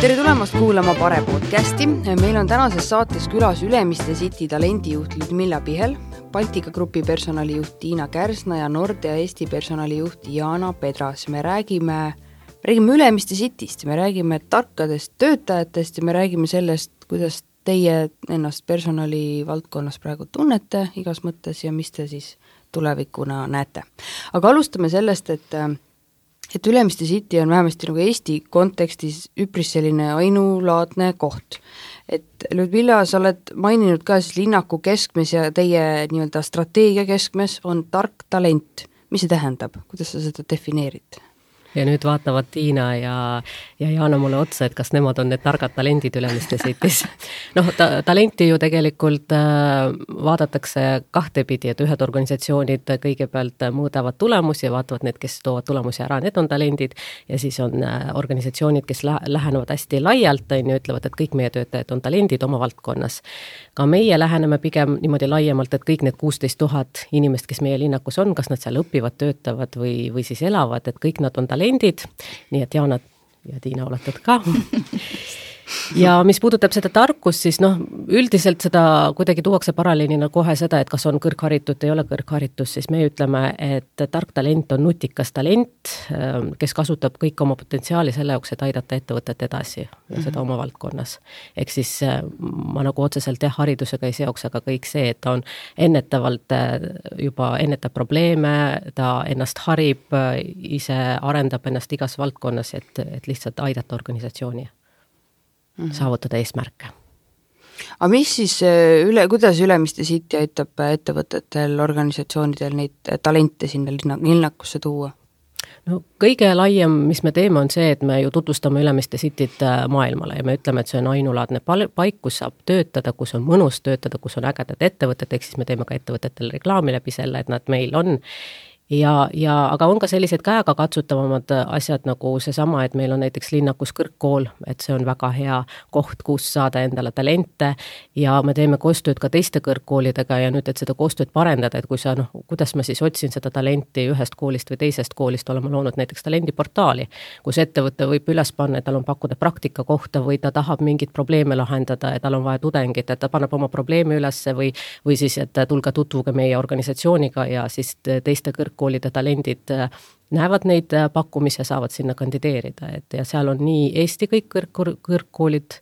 Tere tulemast kuulama Pare podcasti. Meil on tänases saates külas Ülemiste City talendijuht Ludmilla Pihel, Baltika Grupi personalijuht Tiina Kärsna ja Nordea Eesti personalijuht Jana Pedras. Me räägime Ülemiste Cityst, me räägime tarkadest töötajatest ja me räägime sellest, kuidas teie ennast personali valdkonnas praegu tunnete igas mõttes ja mis te siis tulevikuna näete. Aga alustame sellest, et Ülemiste City on vähemasti nagu Eesti kontekstis üpris selline ainulaadne koht. Et Ludmilla, sa oled maininud ka siis linnaku keskmes ja teie nii-öelda strateegia keskmes on tark talent. Mis see tähendab? Kuidas sa seda defineerid? Ja nüüd vaatavad Tiina ja Jaana mulle otsa, et kas nemad on need targad talendid Ülemiste City's. Talenti ju tegelikult vaadatakse kahtepidi, et ühed organisatsioonid kõigepealt mõõdavad tulemusi ja vaatavad need, kes toovad tulemusi ära, need on talendid ja siis on organisatsioonid, kes lähenevad hästi laialt, ütlevad, et kõik meie töötajad on talendid oma valdkonnas. Ka meie läheneme pigem niimoodi laiemalt, et kõik need 16 000 inimest, kes meie linnakus on, kas nad seal õpivad, töötavad või siis elavad, et kõik nad on talendid. Nii et Jaana ja Tiina oletud ka. Ja mis puudutab seda tarkust, siis üldiselt seda kuidagi tuuakse paralleelina kohe seda, et kas on kõrgharitud, ei ole kõrgharitus, siis me ütleme, et tark talent on nutikas talent, kes kasutab kõik oma potentsiaali selle jaoks, et aidata ettevõtet edasi ja seda oma valdkonnas. Ehk siis ma nagu otseselt haridusega ei seoks, aga kõik see, et ta on ennetavalt juba ennetab probleeme, ta ennast harib, ise arendab ennast igas valdkonnas, et lihtsalt aidata organisatsiooni. Saavutada eesmärke. Aga mis siis, kuidas Ülemiste City aitab ettevõtetel, organisatsioonidel neid talente sinna linnakusse tuua? Kõige laiem, mis me teeme, on see, et me ju tutvustame Ülemiste Cityt maailmale ja me ütleme, et see on ainulaadne paik, kus saab töötada, kus on mõnus töötada, kus on ägedad ettevõtted, ehk siis me teeme ka ettevõtetele reklaami läbi selle, et nad meil on. Aga on ka sellised käega katsutavamad asjad nagu seesama, et meil on näiteks linnakus kõrgkool, et see on väga hea koht, kus saada endale talente ja me teeme koostööd ka teiste kõrgkoolidega ja nüüd, et seda koostööd parendada, et kui sa, kuidas ma siis otsin seda talenti ühest koolist või teisest koolist, oleme loonud näiteks talendiportaali, kus ettevõte võib üles panna, et tal on pakkuda praktika kohta või ta tahab mingit probleeme lahendada ja tal on vaja tudengit, et ta paneb oma probleemi ülesse või siis, et tulge tutvuge meie organisatsiooniga ja siis teiste koolide talendid näevad neid pakkumisi ja saavad sinna kandideerida. Ja seal on nii Eesti kõik kõrgkoolid,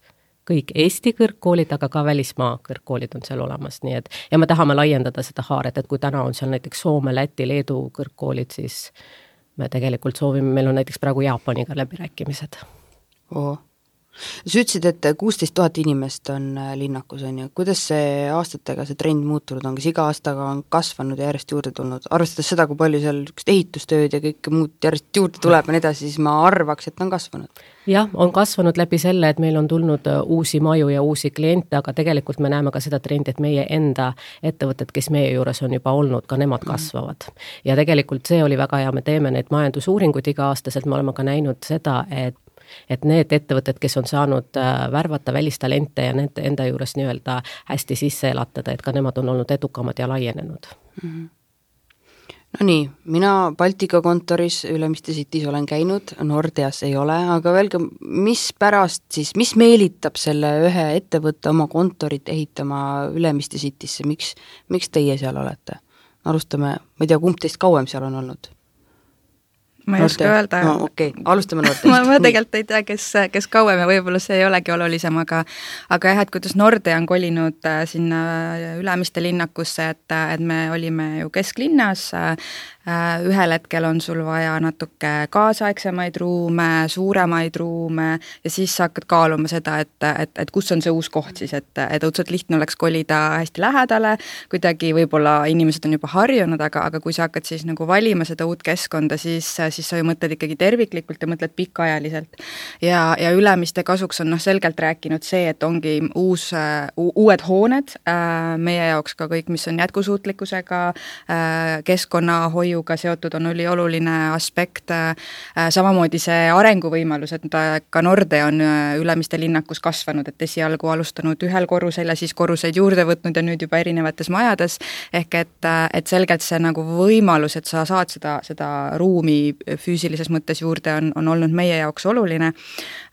kõik Eesti kõrgkoolid, aga ka välismaa kõrgkoolid on seal olemas. Nii et, ja me tahame laiendada seda haaret, et kui täna on seal näiteks Soome, Läti, Leedu kõrgkoolid, siis me tegelikult soovime, meil on näiteks praegu Jaapaniga läbirääkimised. Sa ütlesid, et 16 000 inimest on linnakus, on ju. Kuidas see aastatega see trend muutunud on? Kas iga aastaga on kasvanud ja järjest juurde tulnud? Arvestades seda, kui palju seal ehitustööd ja kõik muud järjest juurde tuleb ja edasi, siis ma arvaks, et on kasvanud. Jah, on kasvanud läbi selle, et meil on tulnud uusi maju ja uusi kliente, aga tegelikult me näeme ka seda trendi, et meie enda ettevõtted, kes meie juures on juba olnud, ka nemad kasvavad. Ja tegelikult see oli väga hea, me teeme neid majandusuuringuid iga aastaselt, me oleme ka näinud seda, et need ettevõtted, kes on saanud värvata välistalente ja nende enda juures nii-öelda hästi sisse elatada, et ka nemad on olnud edukamad ja laienenud. No nii, mina Baltika kontoris Ülemiste City's olen käinud, Nordeas ei ole, aga öelge, mis meelitab selle ühe ettevõtte oma kontorit ehitama Ülemiste City'sse, miks teie seal olete? Alustame, ma ei tea, kumb teist kauem seal on olnud? Ma ei oska öelda. Okei, alustame Nordeast. ma tegelikult ei tea, kes kauem ja võib-olla see ei olegi olulisem, aga jah, et kuidas Nordea on kolinud sinna Ülemiste linnakusse, et me olime ju kesklinnas, ühel hetkel on sul vaja natuke kaasaegsemaid ruume, suuremaid ruume ja siis sa hakkad kaaluma seda, et kus on see uus koht siis, et õudselt lihtne oleks kolida hästi lähedale, kuidagi võib-olla inimesed on juba harjunud, aga kui sa hakkad siis nagu valima seda uut keskkonda, siis sa ju mõtled ikkagi terviklikult ja mõtled pikaajaliselt. Ja Ülemiste kasuks on selgelt rääkinud see, et ongi uued hooned, meie jaoks ka kõik, mis on jätkusuutlikkusega, keskkonnahoiuga seotud on oluline aspekt, samamoodi see arenguvõimalus, et ka Nordea on Ülemiste linnakus kasvanud, et esialgu alustanud ühel korrusel ja siis korruseid juurde võtnud ja nüüd juba erinevates majades, ehk et selgelt see nagu võimalus, et sa saad seda ruumi füüsilises mõttes juurde on olnud meie jaoks oluline.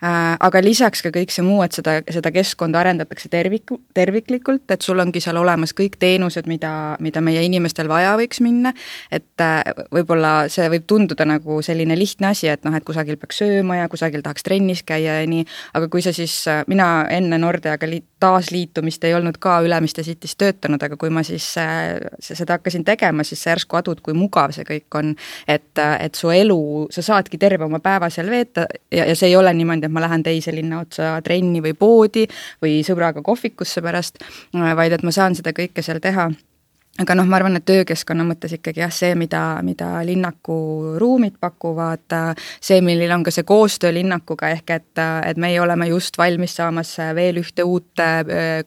Aga lisaks ka kõik see muu, et seda keskkonda arendatakse terviklikult, et sul ongi seal olemas kõik teenused, mida meie inimestel vaja võiks minna, et võib-olla see võib tunduda nagu selline lihtne asi, et et kusagil peaks sööma ja kusagil tahaks trennis käia ja nii, aga kui sa siis, mina enne Nordeaga taasliitumist ei olnud ka Ülemiste City's töötanud, aga kui ma siis seda hakkasin tegema, siis sa järsku adud, kui mugav see kõik on, et su elu, sa saadki terve oma päeva seal veeta ja see ei ole niimoodi, et ma lähen teise linna otsa trenni või poodi või sõbraga kohvikusse pärast, vaid et ma saan seda kõike seal teha. Aga ma arvan, et töökeskkonna mõttes ikkagi see, mida linnaku ruumid pakuvad, see, millil on ka see koostöö linnakuga, ehk et meie oleme just valmis saamas veel ühte uut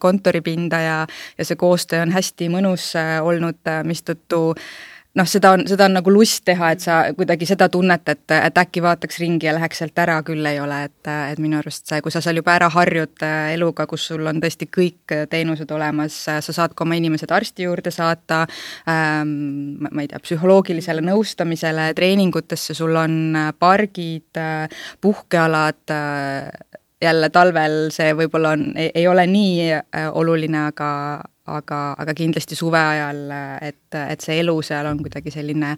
kontoripinda ja see koostöö on hästi mõnus olnud, mistõttu seda on nagu lust teha, et sa kuidagi seda tunnet, et äkki vaataks ringi ja läheks sealt ära, küll ei ole, et minu arust see, kui sa seal juba ära harjud eluga, kus sul on tõesti kõik teenused olemas, sa saad ka oma inimesed arsti juurde saata, ma ei tea, psühholoogilisele nõustamisele, treeningutesse, sul on pargid, puhkealad, jälle talvel see võib-olla ei ole nii oluline, aga kindlasti suve ajal, et see elu seal on kuidagi selline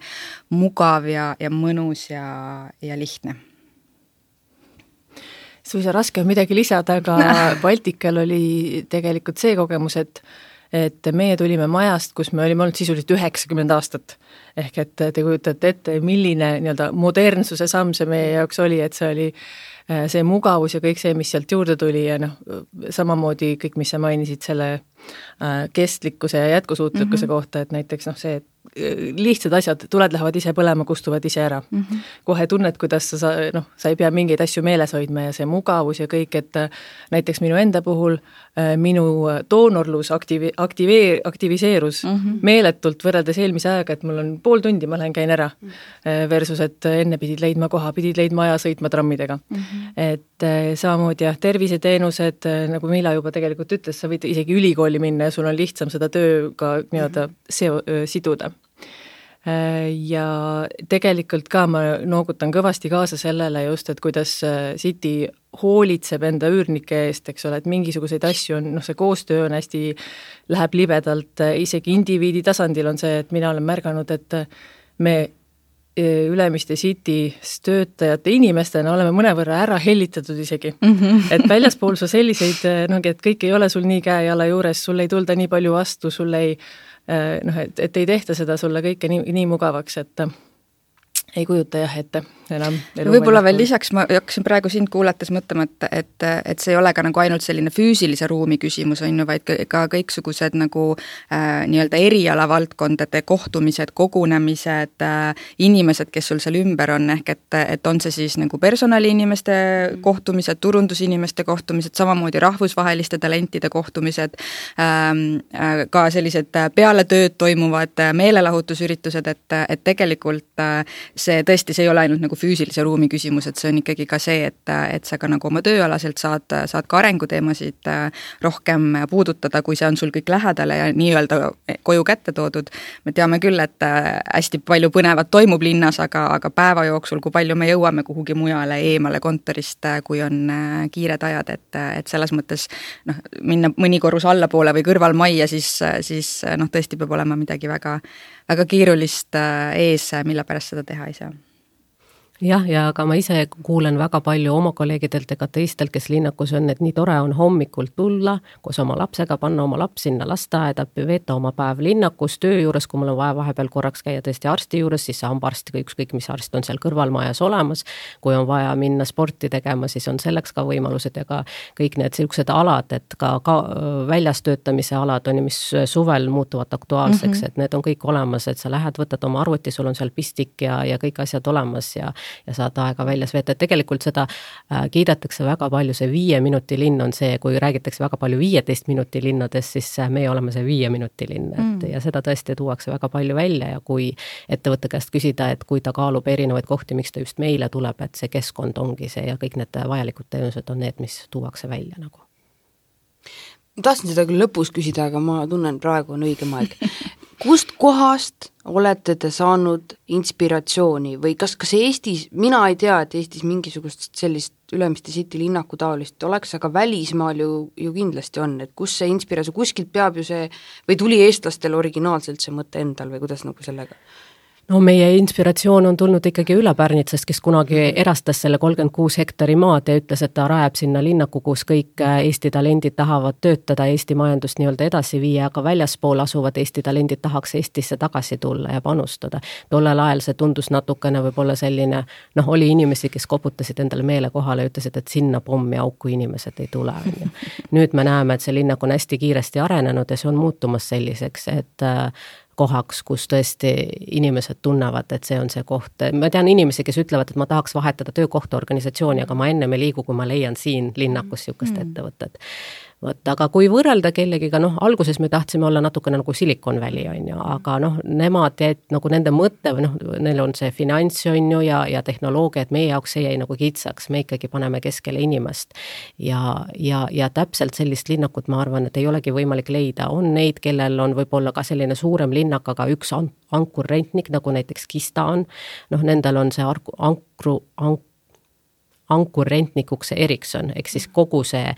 mugav ja mõnus ja lihtne. Suisa raske on midagi lisada, aga Baltikal oli tegelikult see kogemus, et meie tulime majast, kus me olime olnud sisuliselt 90 aastat. Ehk et te kujutate ette, milline modernsuse samm see meie jaoks oli, et see oli see mugavus ja kõik see, mis sealt juurde tuli ja samamoodi kõik, mis sa mainisid selle kestlikkuse ja jätkusuutlikkuse kohta, et näiteks see, et lihtsad asjad, tuled lähevad ise põlema, kustuvad ise ära. Kohe tunned, kuidas sa ei pea mingeid asju meeles hoidma ja see mugavus ja kõik, et näiteks minu enda puhul minu doonorlus aktiviseerus meeletult võrreldes eelmise ajaga, et mul on pool tundi, ma lähen käin ära versus, et enne pidid leidma koha, pidid leidma aja sõitma trammidega. Et samamoodi terviseteenused, nagu Mila juba tegelikult ütles, sa võid isegi ülikooli minna ja sul on lihtsam seda tööga siduda. Ja tegelikult ka ma noogutan kõvasti kaasa sellele just, et kuidas City hoolitseb enda üürnike eest, eks ole, et mingisuguseid asju on, see koostöö on hästi, läheb libedalt, isegi indiviidi tasandil on see, et mina olen märganud, et me Ülemiste City's töötajate inimestena oleme mõnevõrra ära hellitatud isegi. Et väljaspool su selliseid, et kõik ei ole sul nii käe-jala juures, sul ei tulda nii palju vastu, sul ei et ei tehta seda sulle kõike nii mugavaks, et ei kujuta ette enam. Võib-olla veel lisaks, ma hakkasin praegu sind kuulates mõtlema, et see ei ole ka nagu ainult selline füüsilise ruumi küsimus, vaid ka kõiksugused nagu nii-öelda erialavaldkondade kohtumised, kogunemised, inimesed, kes sul seal ümber on, ehk et on see siis nagu personaliinimeste kohtumised, turundusinimeste kohtumised, samamoodi rahvusvaheliste talentide kohtumised, ka sellised peale tööd toimuvad meelelahutusüritused, et tegelikult see tõesti, see ei ole ainult nagu füüsilise ruumi küsimus, et see on ikkagi ka see, et sa ka nagu oma tööalaselt saad ka arenguteemasid rohkem puudutada, kui see on sul kõik lähedale ja nii-öelda koju kätte toodud. Me teame küll, et hästi palju põnevat toimub linnas, aga päeva jooksul, kui palju me jõuame kuhugi mujale eemale kontorist, kui on kiired ajad, et selles mõttes minna mõni korrus allapoole või kõrvalmajja, siis tõesti peab olema midagi väga keerulist ees, mille pärast seda teha ei saa. Jah, ja ka ma ise kuulen väga palju oma kolleegidelt ega teistelt, kes linnakus on, et nii tore on hommikult tulla, koos oma lapsega, panna oma laps sinna lasteaeda, veeta oma päev linnakus, töö juures, kui mul on vaja vahepeal korraks käia tõesti arsti juures, siis hambaarstiga ükskõik, mis arst on seal kõrvalmajas olemas, kui on vaja minna sporti tegema, siis on selleks ka võimalused ja ka kõik need sellised alad, et ka väljas töötamise alad on, mis suvel muutuvad aktuaalseks, et need on kõik olemas, et sa lähed, võtad oma arvuti, sul on seal pistik ja kõik asjad olemas ja saad aega väljas veeta, et tegelikult seda kiidetakse väga palju, see 5 minuti linn on see, kui räägitakse väga palju 15 minuti linnadest, siis meie oleme see 5 minuti linn, ja seda tõesti tuuakse väga palju välja ja kui ettevõtte käest küsida, et kui ta kaalub erinevaid kohti, miks ta just meile tuleb, et see keskkond ongi see ja kõik need vajalikud teenused on need, mis tuuakse välja nagu. Ma tahtsin seda küll lõpus küsida, aga ma tunnen praegu on õigem aeg. Kust kohast olete te saanud inspiratsiooni või kas Eestis, mina ei tea, et Eestis mingisugust sellist Ülemiste City linnaku taolist oleks, aga välismaal ju kindlasti on, et kus see inspiratsioon, kuskilt peab ju see, või tuli eestlastel originaalselt see mõte endal või kuidas nagu sellega? No meie inspiratsioon on tulnud ikkagi Ülepärnitsast, kes kunagi erastas selle 36 hektari maad ja ütles, et ta rajab sinna linnaku, kus kõik Eesti talendid tahavad töötada, Eesti majandust nii-öelda edasi viia, aga väljaspool asuvad Eesti talendid tahaks Eestisse tagasi tulla ja panustada. Tollel ajal see tundus natukene võib-olla selline, oli inimesi, kes koputasid endale meele kohale ja ütlesid, et sinna pommi auku inimesed ei tule. Nüüd me näeme, et see linnak on hästi kiiresti arenenud ja see on muutumas selliseks, et kohaks, kus tõesti inimesed tunnevad, et see on see koht. Ma tean inimesi, kes ütlevad, et ma tahaks vahetada töökohta organisatsiooni, aga ma enne me liigu, kui ma leian siin linnakus niisugust ettevõtet. Aga kui võrrelda kellegiga, alguses me tahtsime olla natukene nagu Silicon Valley, on ju, aga nemad jäid nagu nende mõtte, neil on see finants, on ju, ja tehnoloogia, et meie jaoks see jäi nagu kitsaks, me ikkagi paneme keskele inimest. Ja täpselt sellist linnakut, ma arvan, et ei olegi võimalik leida. On neid, kellel on võib-olla ka selline suurem linnak, aga üks ankurrentnik, nagu näiteks Kista on, nendel on see ankurrentnikuks see Ericsson, ehk siis kogu see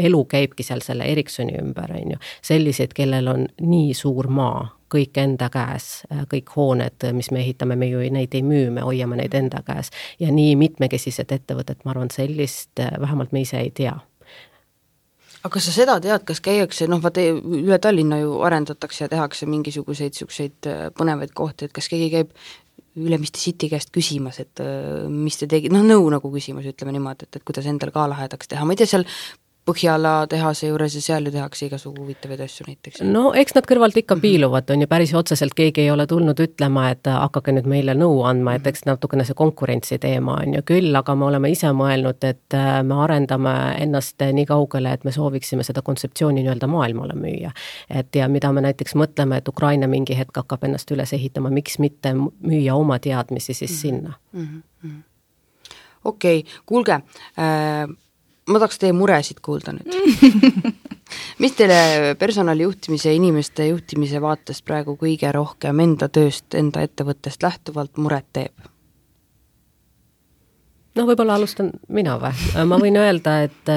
elu käibki seal selle Ericssoni ümber, on ju. Sellised, kellel on nii suur maa, kõik enda käes, kõik hooned, mis me ehitame, me ju neid ei müü, me hoiame neid enda käes. Ja nii mitmekesised ettevõtted, ma arvan, sellist vähemalt me ise ei tea. Aga kas sa seda tead, kas käiakse, vaata üle Tallinna ju arendatakse ja tehakse mingisuguseid põnevaid kohti, et kas keegi käib Ülemiste City käest küsimas, et mis te tegid, nõu nagu küsimas, ütleme niimoodi, et kuidas endal ka lahedaks teha. Ma ei tea, seal Põhjala tehase juures ja seal ju tehakse igasugu huvitavaid asju näiteks. No eks nad kõrvalt ikka piiluvad, on ju päris otseselt keegi ei ole tulnud ütlema, et hakake nüüd meile nõu andma, et eks natukene see konkurentsi teema on ju küll, aga me oleme ise mõelnud, et me arendame ennast nii kaugele, et me sooviksime seda kontseptsiooni nii-öelda maailmale müüa. Et ja mida me näiteks mõtleme, et Ukraina mingi hetk hakkab ennast üles ehitama, miks mitte müüa oma teadmisi siis sinna. Okei, kuulge, ma tahaks teie muresid kuulda nüüd. Mis teile personalijuhtimise ja inimeste juhtimise vaatest praegu kõige rohkem enda tööst, enda ettevõttest lähtuvalt muret teeb? Võib-olla alustan mina või? Ma võin öelda, et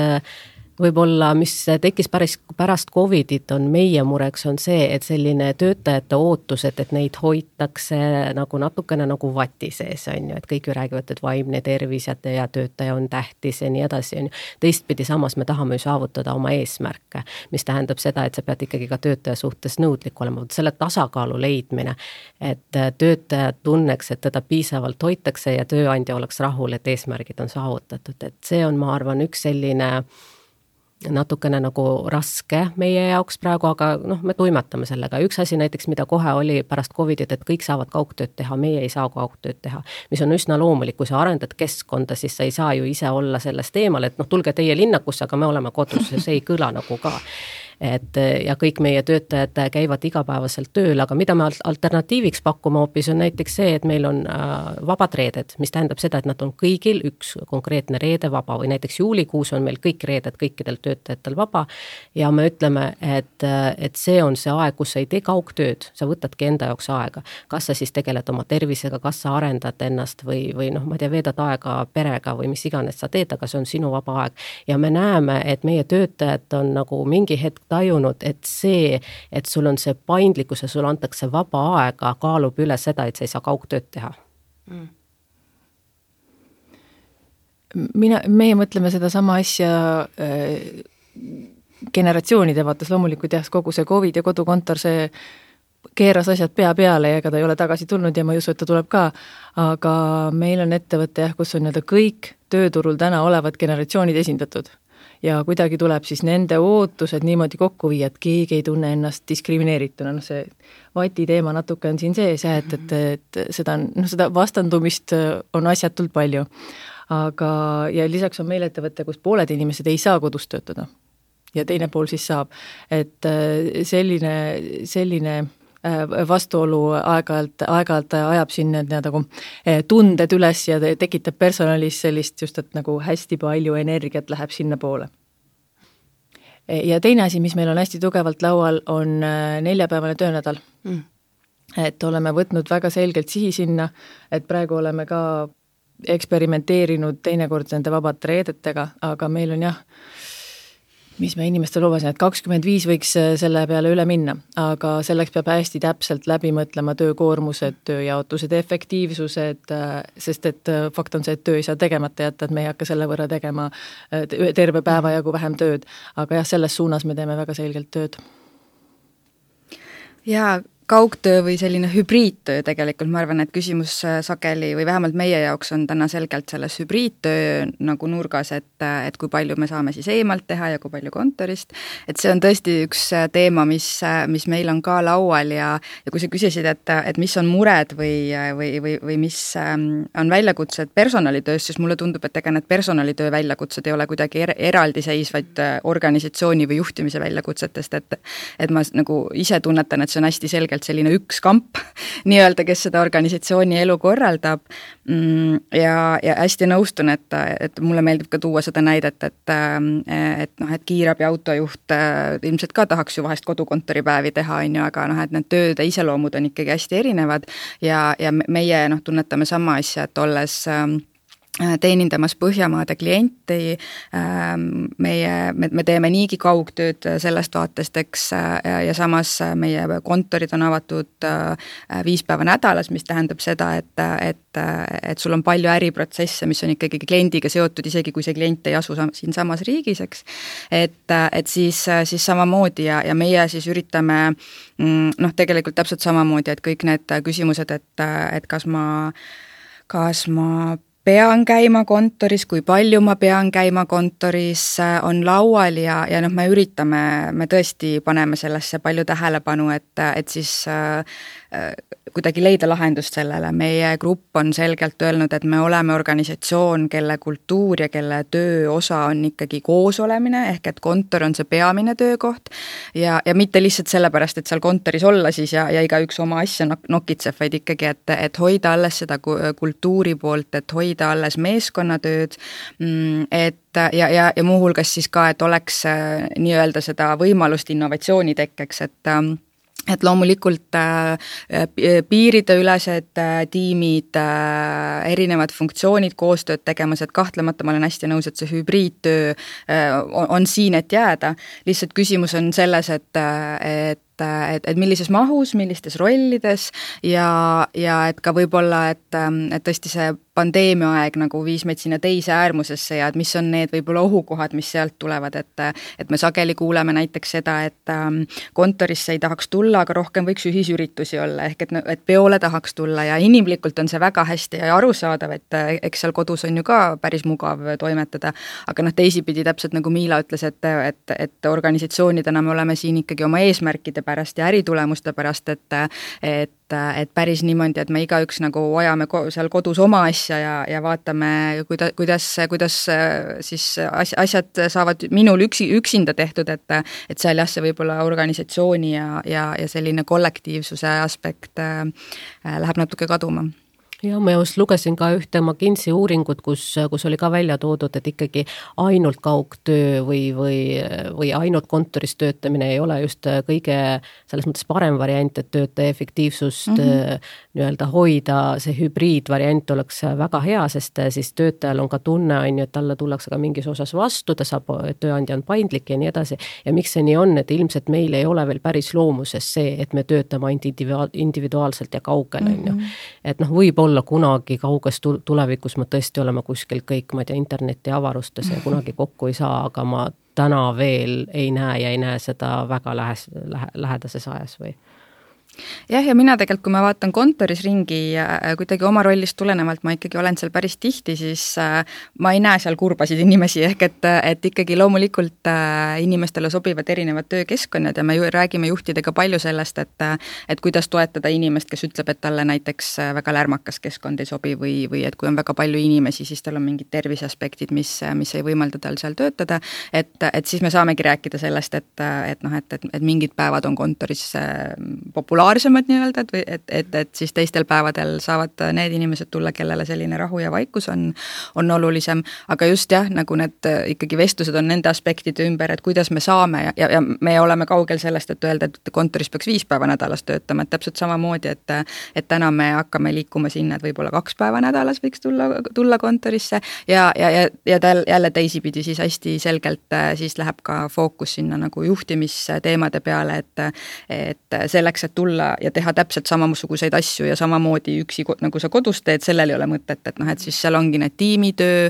võib-olla, mis tekkis pärast Covidit, on meie mureks on see, et selline töötajate ootused, et neid hoitakse nagu natukene nagu vati sees, on ju, et kõik ju räägivad, et vaimne tervis ja töötaja on tähtis ja nii edasi, on ju. Teistpidi samas me tahame ju saavutada oma eesmärke, mis tähendab seda, et sa pead ikkagi ka töötaja suhtes nõudlik olema. Selle tasakaalu leidmine, et töötaja tunneks, et teda piisavalt hoitakse ja tööandja oleks rahul, et eesmärgid on saavutatud. Et see on, ma arvan, üks selline natukene nagu raske meie jaoks praegu, aga me tuimatame sellega. Üks asi näiteks, mida kohe oli pärast Covidit, et kõik saavad kaugtööd teha, meie ei saa kaugtööd teha, mis on üsna loomulik, kui sa arendad keskkonda, siis sa ei saa ju ise olla sellest eemal, et tulge teie linnakusse, aga me oleme kodus, see ei kõla nagu ka. Ja kõik meie töötajad käivad igapäevaselt tööl, aga mida me alternatiiviks pakkuma hoopis on näiteks see, et meil on vabad reeded, mis tähendab seda, et nad on kõigil üks konkreetne reede vaba või näiteks juulikuus on meil kõik reeded kõikidel töötajatel vaba ja me ütleme, et see on see aeg, kus sa ei tee kaugtööd, sa võtadki enda jaoks aega. Kas sa siis tegeled oma tervisega, kas sa arendad ennast või ma tea, veedad aega perega või mis iganes sa teed, aga see on sinu vaba aeg. Ja me näeme, et meie töötajad on nagu mingi hetk tajunud, et see, et sul on see paindlikkus ja sul antakse vaba aega, kaalub üle seda, et sa ei saa kaugtööd teha. Meie mõtleme seda sama asja generatsioonide vaates loomulikult jah, kogu see COVID ja kodukontor, see keeras asjad pea peale ja ega ta ei ole tagasi tulnud ja ma ei usu, et ta tuleb ka, aga meil on ettevõte jah, kus on kõik tööturul täna olevad generatsioonid esindatud. Ja kuidagi tuleb siis nende ootused niimoodi kokku viia, et keegi ei tunne ennast diskrimineerituna. See vati teema natuke on siin sees, et seda vastandumist on asjatult palju. Aga, ja lisaks on meil ettevõte, kus pooled inimesed ei saa kodus töötada ja teine pool siis saab. Et selline vastuolu aeg-ajalt ajab siin tunded üles ja tekitab personalis sellist just, et nagu hästi palju energiat läheb sinna poole. ja teine asi, mis meil on hästi tugevalt laual, on 4-päevane töönädal. Et oleme võtnud väga selgelt sihi sinna, et praegu oleme ka eksperimenteerinud teinekord nende vabate reedetega, aga meil on mis me inimestele lubasin, et 25 võiks selle peale üle minna, aga selleks peab hästi täpselt läbi mõtlema töökoormused, tööjaotused, efektiivsused, sest et fakt on see, et töö ei saa tegemata jätta, et me ei hakka selle võrra tegema terve päeva jagu vähem tööd, aga selles suunas me teeme väga selgelt tööd. Jaa, kaugtöö või selline hübriidtöö tegelikult, ma arvan, et küsimus sageli või vähemalt meie jaoks on täna selgelt selles hübriidtöö nagu nurgas, et kui palju me saame siis eemalt teha ja kui palju kontorist, et see on tõesti üks teema, mis meil on ka laual ja kui sa küsisid, et mis on mured või mis on väljakutsed personalitöös, siis mulle tundub, et ega need personalitöö väljakutsed ei ole kuidagi eraldiseisvaid organisatsiooni või juhtimise väljakutsetest, et ma nagu ise tunnetan, et see on hästi selgelt selline üks kamp nii-öelda, kes seda organisatsiooni elu korraldab ja hästi nõustun, et mulle meeldib ka tuua seda näidet, et kiirabi autojuht ilmselt ka tahaks ju vahest kodukontoripäevi teha, aga et need tööde iseloomud on ikkagi hästi erinevad ja meie tunnetame sama asja, et olles teenindamas Põhjamaade klienti, me teeme niigi kaugtööd sellest vaatest, eks, ja samas meie kontorid on avatud 5 päeva nädalas, mis tähendab seda, et sul on palju äriprotsesse, mis on ikkagi kliendiga seotud, isegi kui see klient ei asu siin samas riigis, eks, et siis samamoodi ja meie siis üritame tegelikult täpselt samamoodi, et kõik need küsimused, et kas ma pean käima kontoris, kui palju ma pean käima kontoris, on laual ja me tõesti paneme sellesse palju tähelepanu, et siis kuidagi leida lahendust sellele. Meie grupp on selgelt öelnud, et me oleme organisatsioon, kelle kultuur ja kelle töö osa on ikkagi koos olemine, ehk et kontor on see peamine töökoht ja mitte lihtsalt sellepärast, et seal kontoris olla siis ja igaüks oma asja nokitseb, vaid ikkagi, et hoida alles seda kultuuri poolt, et hoida alles meeskonnatööd, et ja muuhulgas siis ka, et oleks nii-öelda seda võimalust innovatsiooni tekkeks, et loomulikult piirideülesed tiimid, erinevad funktsioonid, koostööd tegemas, et kahtlemata ma olen hästi nõus, et see hübriidtöö on siin, et jääda. Lihtsalt küsimus on selles, et millises mahus, millistes rollides ja et ka võib-olla, et tõesti see pandeemia aeg nagu viis meid sinna teise äärmusesse ja et mis on need võib-olla ohukohad, mis sealt tulevad, et me sageli kuuleme näiteks seda, et kontorisse ei tahaks tulla, aga rohkem võiks ühisüritusi olla, ehk et peole tahaks tulla ja inimlikult on see väga hästi arusaadav, et eks seal kodus on ju ka päris mugav toimetada, aga teisipidi täpselt nagu Miila ütles, et organisatsioonidena me oleme siin ikkagi oma eesmärkide pärast ja äritulemuste pärast, et päris niimoodi, et me igaüks nagu ajame seal kodus oma asja ja vaatame, kuidas siis asjad saavad minul üksinda tehtud, et seal jah, see võib-olla organisatsiooni ja selline kollektiivsuse aspekt läheb natuke kaduma. Ja ma just lugesin ka ühte McKinsey uuringut, kus oli ka välja toodud, et ikkagi ainult kaugtöö või ainult kontoris töötamine ei ole just kõige selles mõttes parem variant, et töötaja efektiivsust nii-öelda hoida, see hübriidvariant oleks väga hea, sest siis töötajal on ka tunne, et talle tullakse ka mingis osas vastu, ta saab, tööandja on paindlik ja nii edasi. Ja miks see nii on, et ilmselt meil ei ole veel päris loomuses see, et me töötame individuaalselt ja kaugel, et võib olla kunagi kauges tulevikus me tõesti oleme kuskil kõik, ma ei tea, interneti avarustes ja kunagi kokku ei saa, aga ma täna veel ei näe seda väga lähedases ajas või? Jah, ja mina tegelikult, kui ma vaatan kontoris ringi kuidagi oma rollist tulenevalt, ma ikkagi olen seal päris tihti, siis ma ei näe seal kurbasid inimesi, ehk et ikkagi loomulikult inimestele sobivad erinevad töökeskkonnad ja me räägime juhtidega palju sellest, et kuidas toetada inimest, kes ütleb, et talle näiteks väga lärmakas keskkond ei sobi või et kui on väga palju inimesi, siis tal on mingid terviseaspektid, mis ei võimalda tal seal töötada, et siis me saamegi rääkida sellest, et mingid päevad on kontoris populaarne regulaarsemad nii-öelda, et siis teistel päevadel saavad need inimesed tulla, kellele selline rahu ja vaikus on olulisem, aga just jah, nagu need ikkagi vestlused on nende aspektide ümber, et kuidas me saame ja me oleme kaugel sellest, et öelda, et kontoris peaks 5 päeva nädalas töötama, et täpselt samamoodi, et täna me hakkame liikuma sinna, et võib-olla 2 päeva nädalas võiks tulla kontorisse ja jälle teisipidi siis hästi selgelt siis läheb ka fookus sinna nagu juhtimisteemade peale, et selleks, et tulla ja teha täpselt samasuguseid asju ja samamoodi üksi, nagu sa kodus teed, sellel ei ole mõtet, et noh, et siis seal ongi need tiimitöö,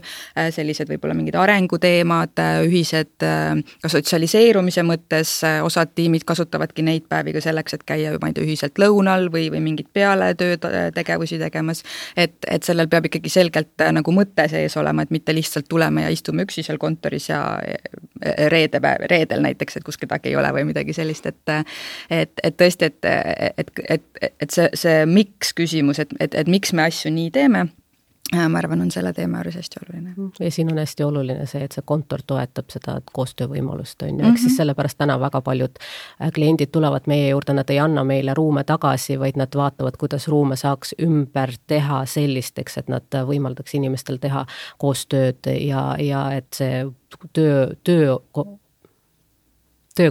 sellised võib-olla mingid arenguteemad, ühised ka sotsialiseerumise mõttes, osad tiimid kasutavadki neid päevi ka selleks, et käia ma ei tea, ühiselt lõunal või mingid pealetööd tegevusi tegemas, et sellel peab ikkagi selgelt nagu mõte sees olema, et mitte lihtsalt tuleme ja istume üksi seal kontoris ja reedel näiteks, et kus kedagi ei ole või midagi sellist, et tõesti, et see miks küsimus, et miks me asju nii teeme, ma arvan, on selle teema juures hästi oluline. Ja siin on hästi oluline see, et see kontor toetab seda koostöövõimalust, on ju, eks siis sellepärast täna väga paljud kliendid tulevad meie juurde, nad ei anna meile ruume tagasi, vaid nad vaatavad, kuidas ruume saaks ümber teha sellisteks, et nad võimaldaks inimestel teha koostööd ja et see töö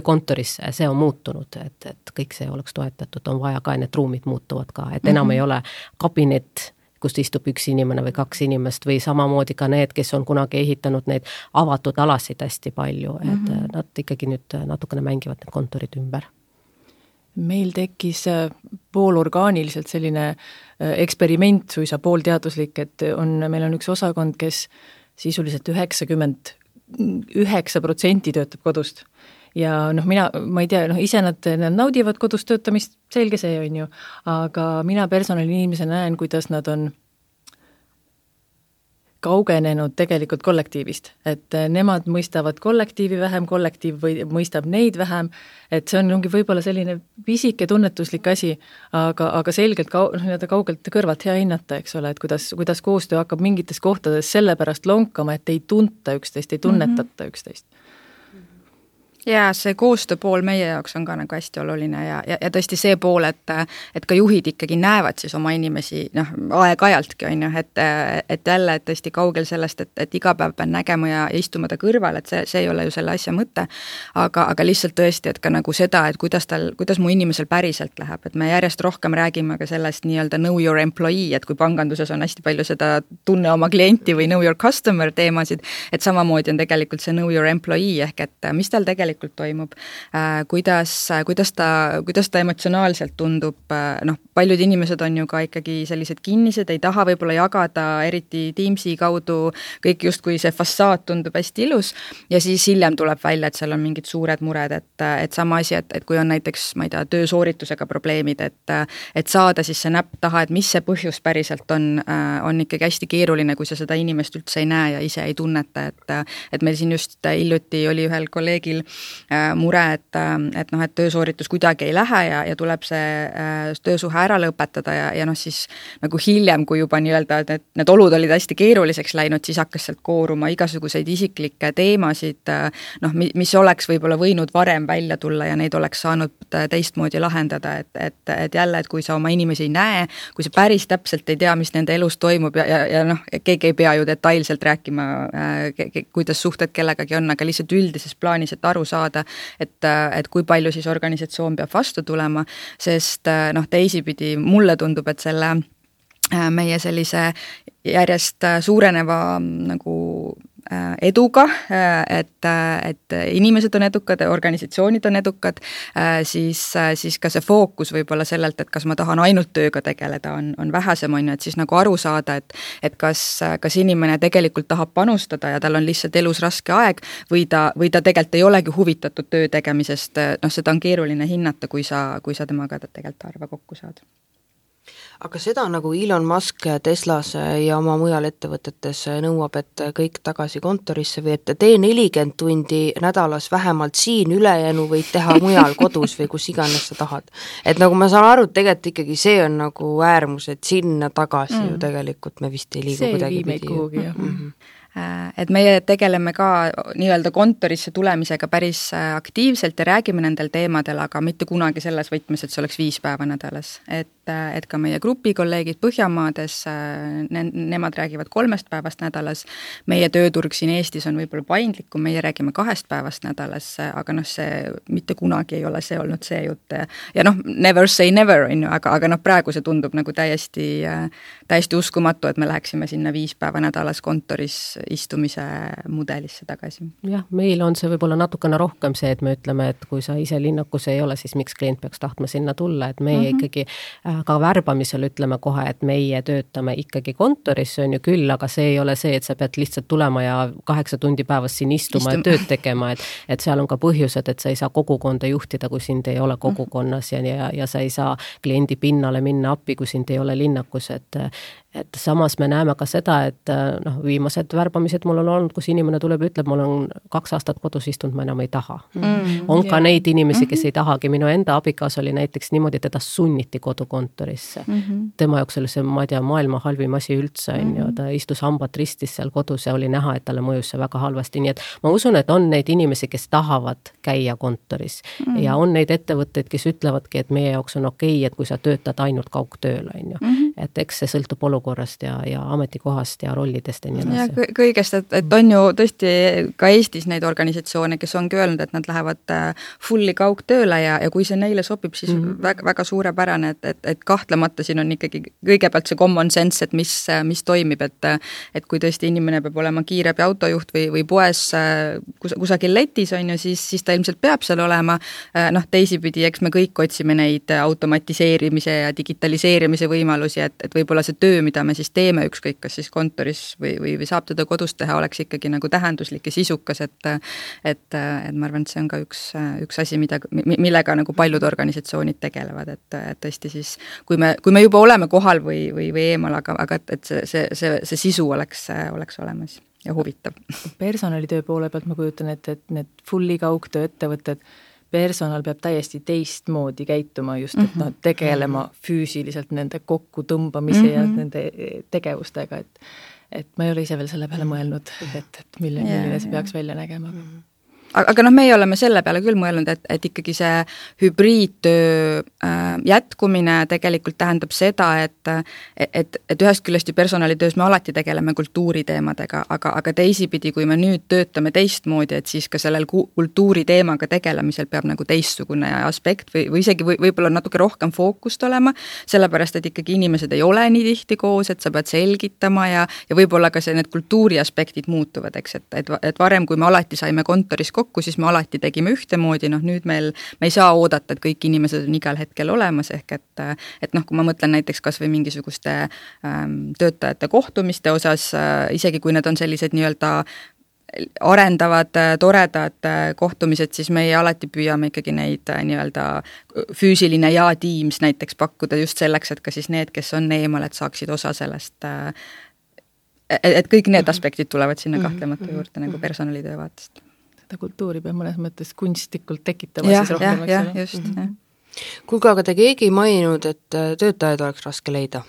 kontorisse, see on muutunud, et kõik see oleks toetatud, on vaja ka, need ruumid muutuvad ka, et enam ei ole kabinet, kust istub üks inimene või 2 inimest või samamoodi ka need, kes on kunagi ehitanud neid avatud alasid hästi palju, et nad ikkagi nüüd natukene mängivad need kontorid ümber. Meil tekkis poolorgaaniliselt selline eksperiment, suisa poolteaduslik, et meil on üks osakond, kes sisuliselt 99% töötab kodust. Ja ma ei tea, ise nad naudivad kodus töötamist, selge see on ju, aga mina personaliinimese näen, kuidas nad on kaugenenud tegelikult kollektiivist, et nemad mõistavad kollektiivi vähem, kollektiiv mõistab neid vähem, et see ongi võib-olla selline pisike tunnetuslik asi, aga selgelt kaugelt kõrvalt hea hinnata, eks ole, et kuidas koostöö hakkab mingites kohtades sellepärast lonkama, et ei tunta üksteist, ei tunnetata üksteist. Ja see koostöö pool meie jaoks on ka nagu hästi oluline ja tõesti see pool, et ka juhid ikkagi näevad siis oma inimesi aeg-ajaltki on ju, et jälle et tõesti kaugel sellest, et iga päev pean nägema ja istuma ta kõrval, et see ei ole ju selle asja mõte, aga lihtsalt tõesti, et ka nagu seda, et kuidas mu inimesel päriselt läheb, et me järjest rohkem räägime ka sellest nii-öelda know your employee, et kui panganduses on hästi palju seda tunne oma klienti või know your customer teemasid, et samamoodi on tegelikult see know your employee ehk et mis tal tegelikult toimub, kuidas ta emotsionaalselt tundub, paljud inimesed on ju ka ikkagi sellised kinnised, ei taha võib-olla jagada, eriti Teamsi kaudu, kõik justkui see fassaad tundub hästi ilus ja siis hiljem tuleb välja, et seal on mingid suured mured, et sama asi, et kui on näiteks, ma ei tea, töösooritusega probleemid, et saada siis see näpp taha, et mis see põhjus päriselt on ikkagi hästi keeruline, kui sa seda inimest üldse ei näe ja ise ei tunneta, et meil siin just hiljuti oli ühel kolleegil mure, et töösooritus kuidagi ei lähe ja tuleb see töösuhe ära lõpetada ja siis nagu hiljem, kui juba nii-öelda need olud olid hästi keeruliseks läinud, siis hakkas sealt kooruma igasuguseid isiklikke teemasid, mis oleks võib-olla võinud varem välja tulla ja neid oleks saanud teistmoodi lahendada, et jälle, et kui sa oma inimesi ei näe, kui sa päris täpselt ei tea, mis nende elus toimub ja keegi ei pea ju detailselt rääkima, kuidas suhted kellegagi on, aga lihtsalt üldises plaanis, et aru saada, et kui palju siis organisatsioon peab vastu tulema, sest teisipidi mulle tundub, et selle meie sellise järjest suureneva nagu eduga, et inimesed on edukad, organisatsioonid on edukad, siis ka see fookus võib-olla sellelt, et kas ma tahan ainult tööga tegeleda, on vähesem, on ju, et siis nagu aru saada, et kas inimene tegelikult tahab panustada ja tal on lihtsalt elus raske aeg või ta tegelikult ei olegi huvitatud töö tegemisest, seda on keeruline hinnata, kui sa temaga tegelikult harva kokku saad. Aga seda nagu Elon Musk Teslas ja oma mujal ettevõtetes nõuab, et kõik tagasi kontorisse või et tee 40 tundi nädalas vähemalt siin, ülejäänu võid teha mujal kodus või kus iganes sa tahad. Et nagu ma saan aru, et tegelikult ikkagi see on nagu äärmus, et sinna tagasi ju tegelikult me vist ei liigu see kuidagi pidi. et meie tegeleme ka nii-öelda kontorisse tulemisega päris aktiivselt ja räägime nendel teemadel, aga mitte kunagi selles võtmes, et see oleks 5 päeva nädalas. Et ka meie grupikolleegid Põhjamaades, nemad räägivad 3 päevast nädalas, meie tööturg siin Eestis on võib-olla paindlikum, meie räägime 2 päevast nädalas, aga see mitte kunagi ei ole see olnud see jutt. Ja never say never, aga praegu see tundub nagu täiesti uskumatu, et me läheksime sinna 5 päeva nädalas kontoris istumise mudelisse tagasi. Jah, meil on see võib-olla natukene rohkem see, et me ütleme, et kui sa ise linnakus ei ole, siis miks klient peaks tahtma sinna tulla, et meie ikkagi ka värbamisel ütleme kohe, et meie töötame ikkagi kontoris, see on ju küll, aga see ei ole see, et sa pead lihtsalt tulema ja 8 tundi päevas siin istuma ja tööd tegema, et seal on ka põhjused, et sa ei saa kogukonda juhtida, kui sind ei ole kogukonnas ja sa ei saa kliendi pinnale minna appi, kui sind ei ole linnakus, et samas me näeme ka seda, et viimased värbamised mul on olnud, kus inimene tuleb ja ütleb, mul on 2 aastat kodus istunud, ma enam ei taha. On ka neid inimesi, kes ei tahagi, minu enda abikaas oli näiteks niimoodi, teda sunniti kodukontorisse. Tema jaoks oli see, ma ei tea, maailma halvim asi üldse, ta istus hambad ristis seal kodus ja oli näha, et talle mõjus see väga halvasti, nii et ma usun, et on neid inimesi, kes tahavad käia kontoris ja on neid ettevõtteid, kes ütlevadki, et meie jaoks on okei, et kui sa töötad ainult kaugtööl, et eks see sõltub olukorrast ja ametikohast ja rollidest ja nii edasi. Ja kõigest, et on ju tõesti ka Eestis neid organisatsioone, kes ongi öelnud, et nad lähevad fulli kaugtööle ja kui see neile sobib, siis väga, väga suurepärane, et kahtlemata siin on ikkagi kõigepealt see common sense, et mis toimib, et kui tõesti inimene peab olema kiirabi autojuht või poes kusagil letis on ju, siis ta ilmselt peab seal olema. Teisipidi, eks me kõik otsime neid automatiseerimise ja digitaliseerimise võimalusi, et võib-olla see töö, mida me siis teeme, ükskõik kas siis kontoris või saab teda kodus teha, oleks ikkagi nagu tähenduslik ja sisukas, et ma arvan, et see on ka üks asi, millega nagu paljud organisatsioonid tegelevad, et tõesti siis, kui me juba oleme kohal või eemal, aga et see sisu oleks olemas ja huvitav. Personalitöö poole pealt ma kujutan, et need fulli kaugtöö ettevõtted, personal peab täiesti teistmoodi käituma just, et tegelema füüsiliselt nende kokku tõmbamise ja nende tegevustega, et ma ei ole ise veel selle peale mõelnud, et milline see peaks välja nägema. Aga meie oleme selle peale küll mõelnud, et ikkagi see hübriidtöö jätkumine tegelikult tähendab seda, et ühest küljest ju personalitöös me alati tegeleme kultuuriteemadega, aga teisipidi, kui me nüüd töötame teistmoodi, et siis ka sellel kultuuriteemaga tegelemisel peab nagu teistsugune aspekt või isegi võib-olla natuke rohkem fookust olema, sellepärast, et ikkagi inimesed ei ole nii tihti koos, et sa pead selgitama ja võib-olla ka need kultuuri aspektid muutuvad, eks, et varem, kui me alati saime kontoris kokku, siis me alati tegime ühtemoodi, nüüd me ei saa oodata, et kõik inimesed on igal hetkel olemas, ehk et kui ma mõtlen näiteks kas või mingisuguste töötajate kohtumiste osas, isegi kui need on sellised nii-öelda arendavad, toredad kohtumised, siis meie alati püüame ikkagi neid nii-öelda füüsiline ja Teams näiteks pakkuda just selleks, et ka siis need, kes on eemal, et saaksid osa sellest, et kõik need aspektid tulevad sinna kahtlemata juurde nagu personalitöö vaatest. Seda kultuuri peab mõnes mõttes kunstlikult tekitama siis rohkem. Jah, just. Kuulge, aga te keegi ei maininud, et töötajaid oleks raske leida.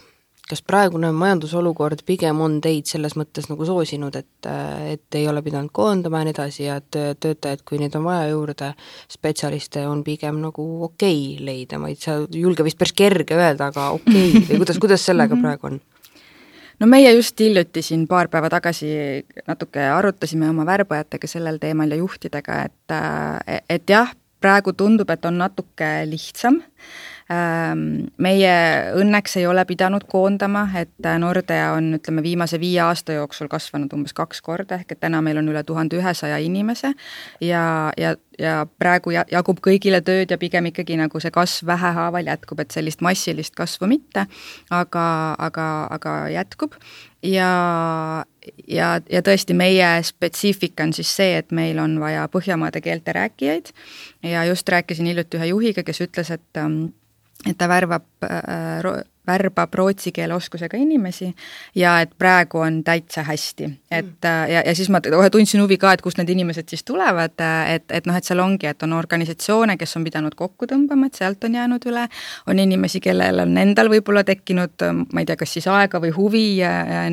Kas praegune majandusolukord pigem on teid selles mõttes nagu soosinud, et ei ole pidanud koondama ja nii edasi ja töötajaid, kui neid on vaja juurde, spetsialiste on pigem nagu okei leida, ma ei julge vist päris kerge öelda, aga okei, või kuidas sellega praegu on? No meie just hiljuti siin paar päeva tagasi natuke arutasime oma värbajatega sellel teemal ja juhtidega, et jah, praegu tundub, et on natuke lihtsam. Meie õnneks ei ole pidanud koondama, et Nordea on, ütleme, viimase 5 aasta jooksul kasvanud umbes 2 korda, ehk et täna meil on üle 1100 inimese ja praegu jagub kõigile tööd ja pigem ikkagi nagu see kasv vähehaaval jätkub, et sellist massilist kasvu mitte, aga jätkub. Ja tõesti meie spetsiifika on siis see, et meil on vaja Põhjamaade keelte rääkijaid ja just rääkisin hiljuti ühe juhiga, kes ütles, et ta värbab värbab rootsi keele oskusega inimesi ja et praegu on täitsa hästi. Ja siis ma kohe tundsin huvi ka, et kust need inimesed siis tulevad, et seal ongi, et on organisatsioone, kes on pidanud kokku tõmbama, et sealt on jäänud üle, on inimesi, kellel on endal võib-olla tekkinud, ma ei tea, kas siis aega või huvi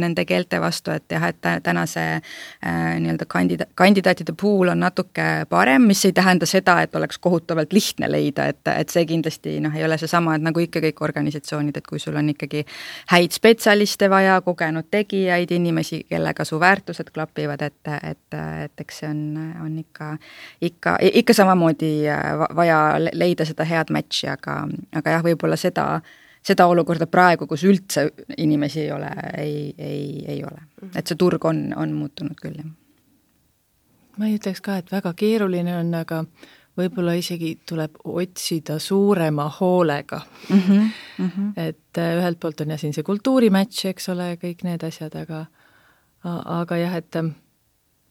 nende keelte vastu, et jah, et tänase nii-öelda kandidaatide puhul on natuke parem, mis ei tähenda seda, et oleks kohutavalt lihtne leida, et see kindlasti ei ole seesama, et nagu ikka kõik organisatsioonid, et kui sul on ikkagi häid spetsialiste vaja, kogenud tegijaid, inimesi, kellega su väärtused klapivad, et eks see on ikka samamoodi vaja leida seda head matchi, aga jah, võib-olla seda olukorda praegu, kus üldse inimesi ei ole, ei ole. Et see turg on muutunud küll. Ma ei ütleks ka, et väga keeruline on, aga võib-olla isegi tuleb otsida suurema hoolega. Et ühelt poolt on siin see kultuurimatch, eks ole, kõik need asjad, aga jah, et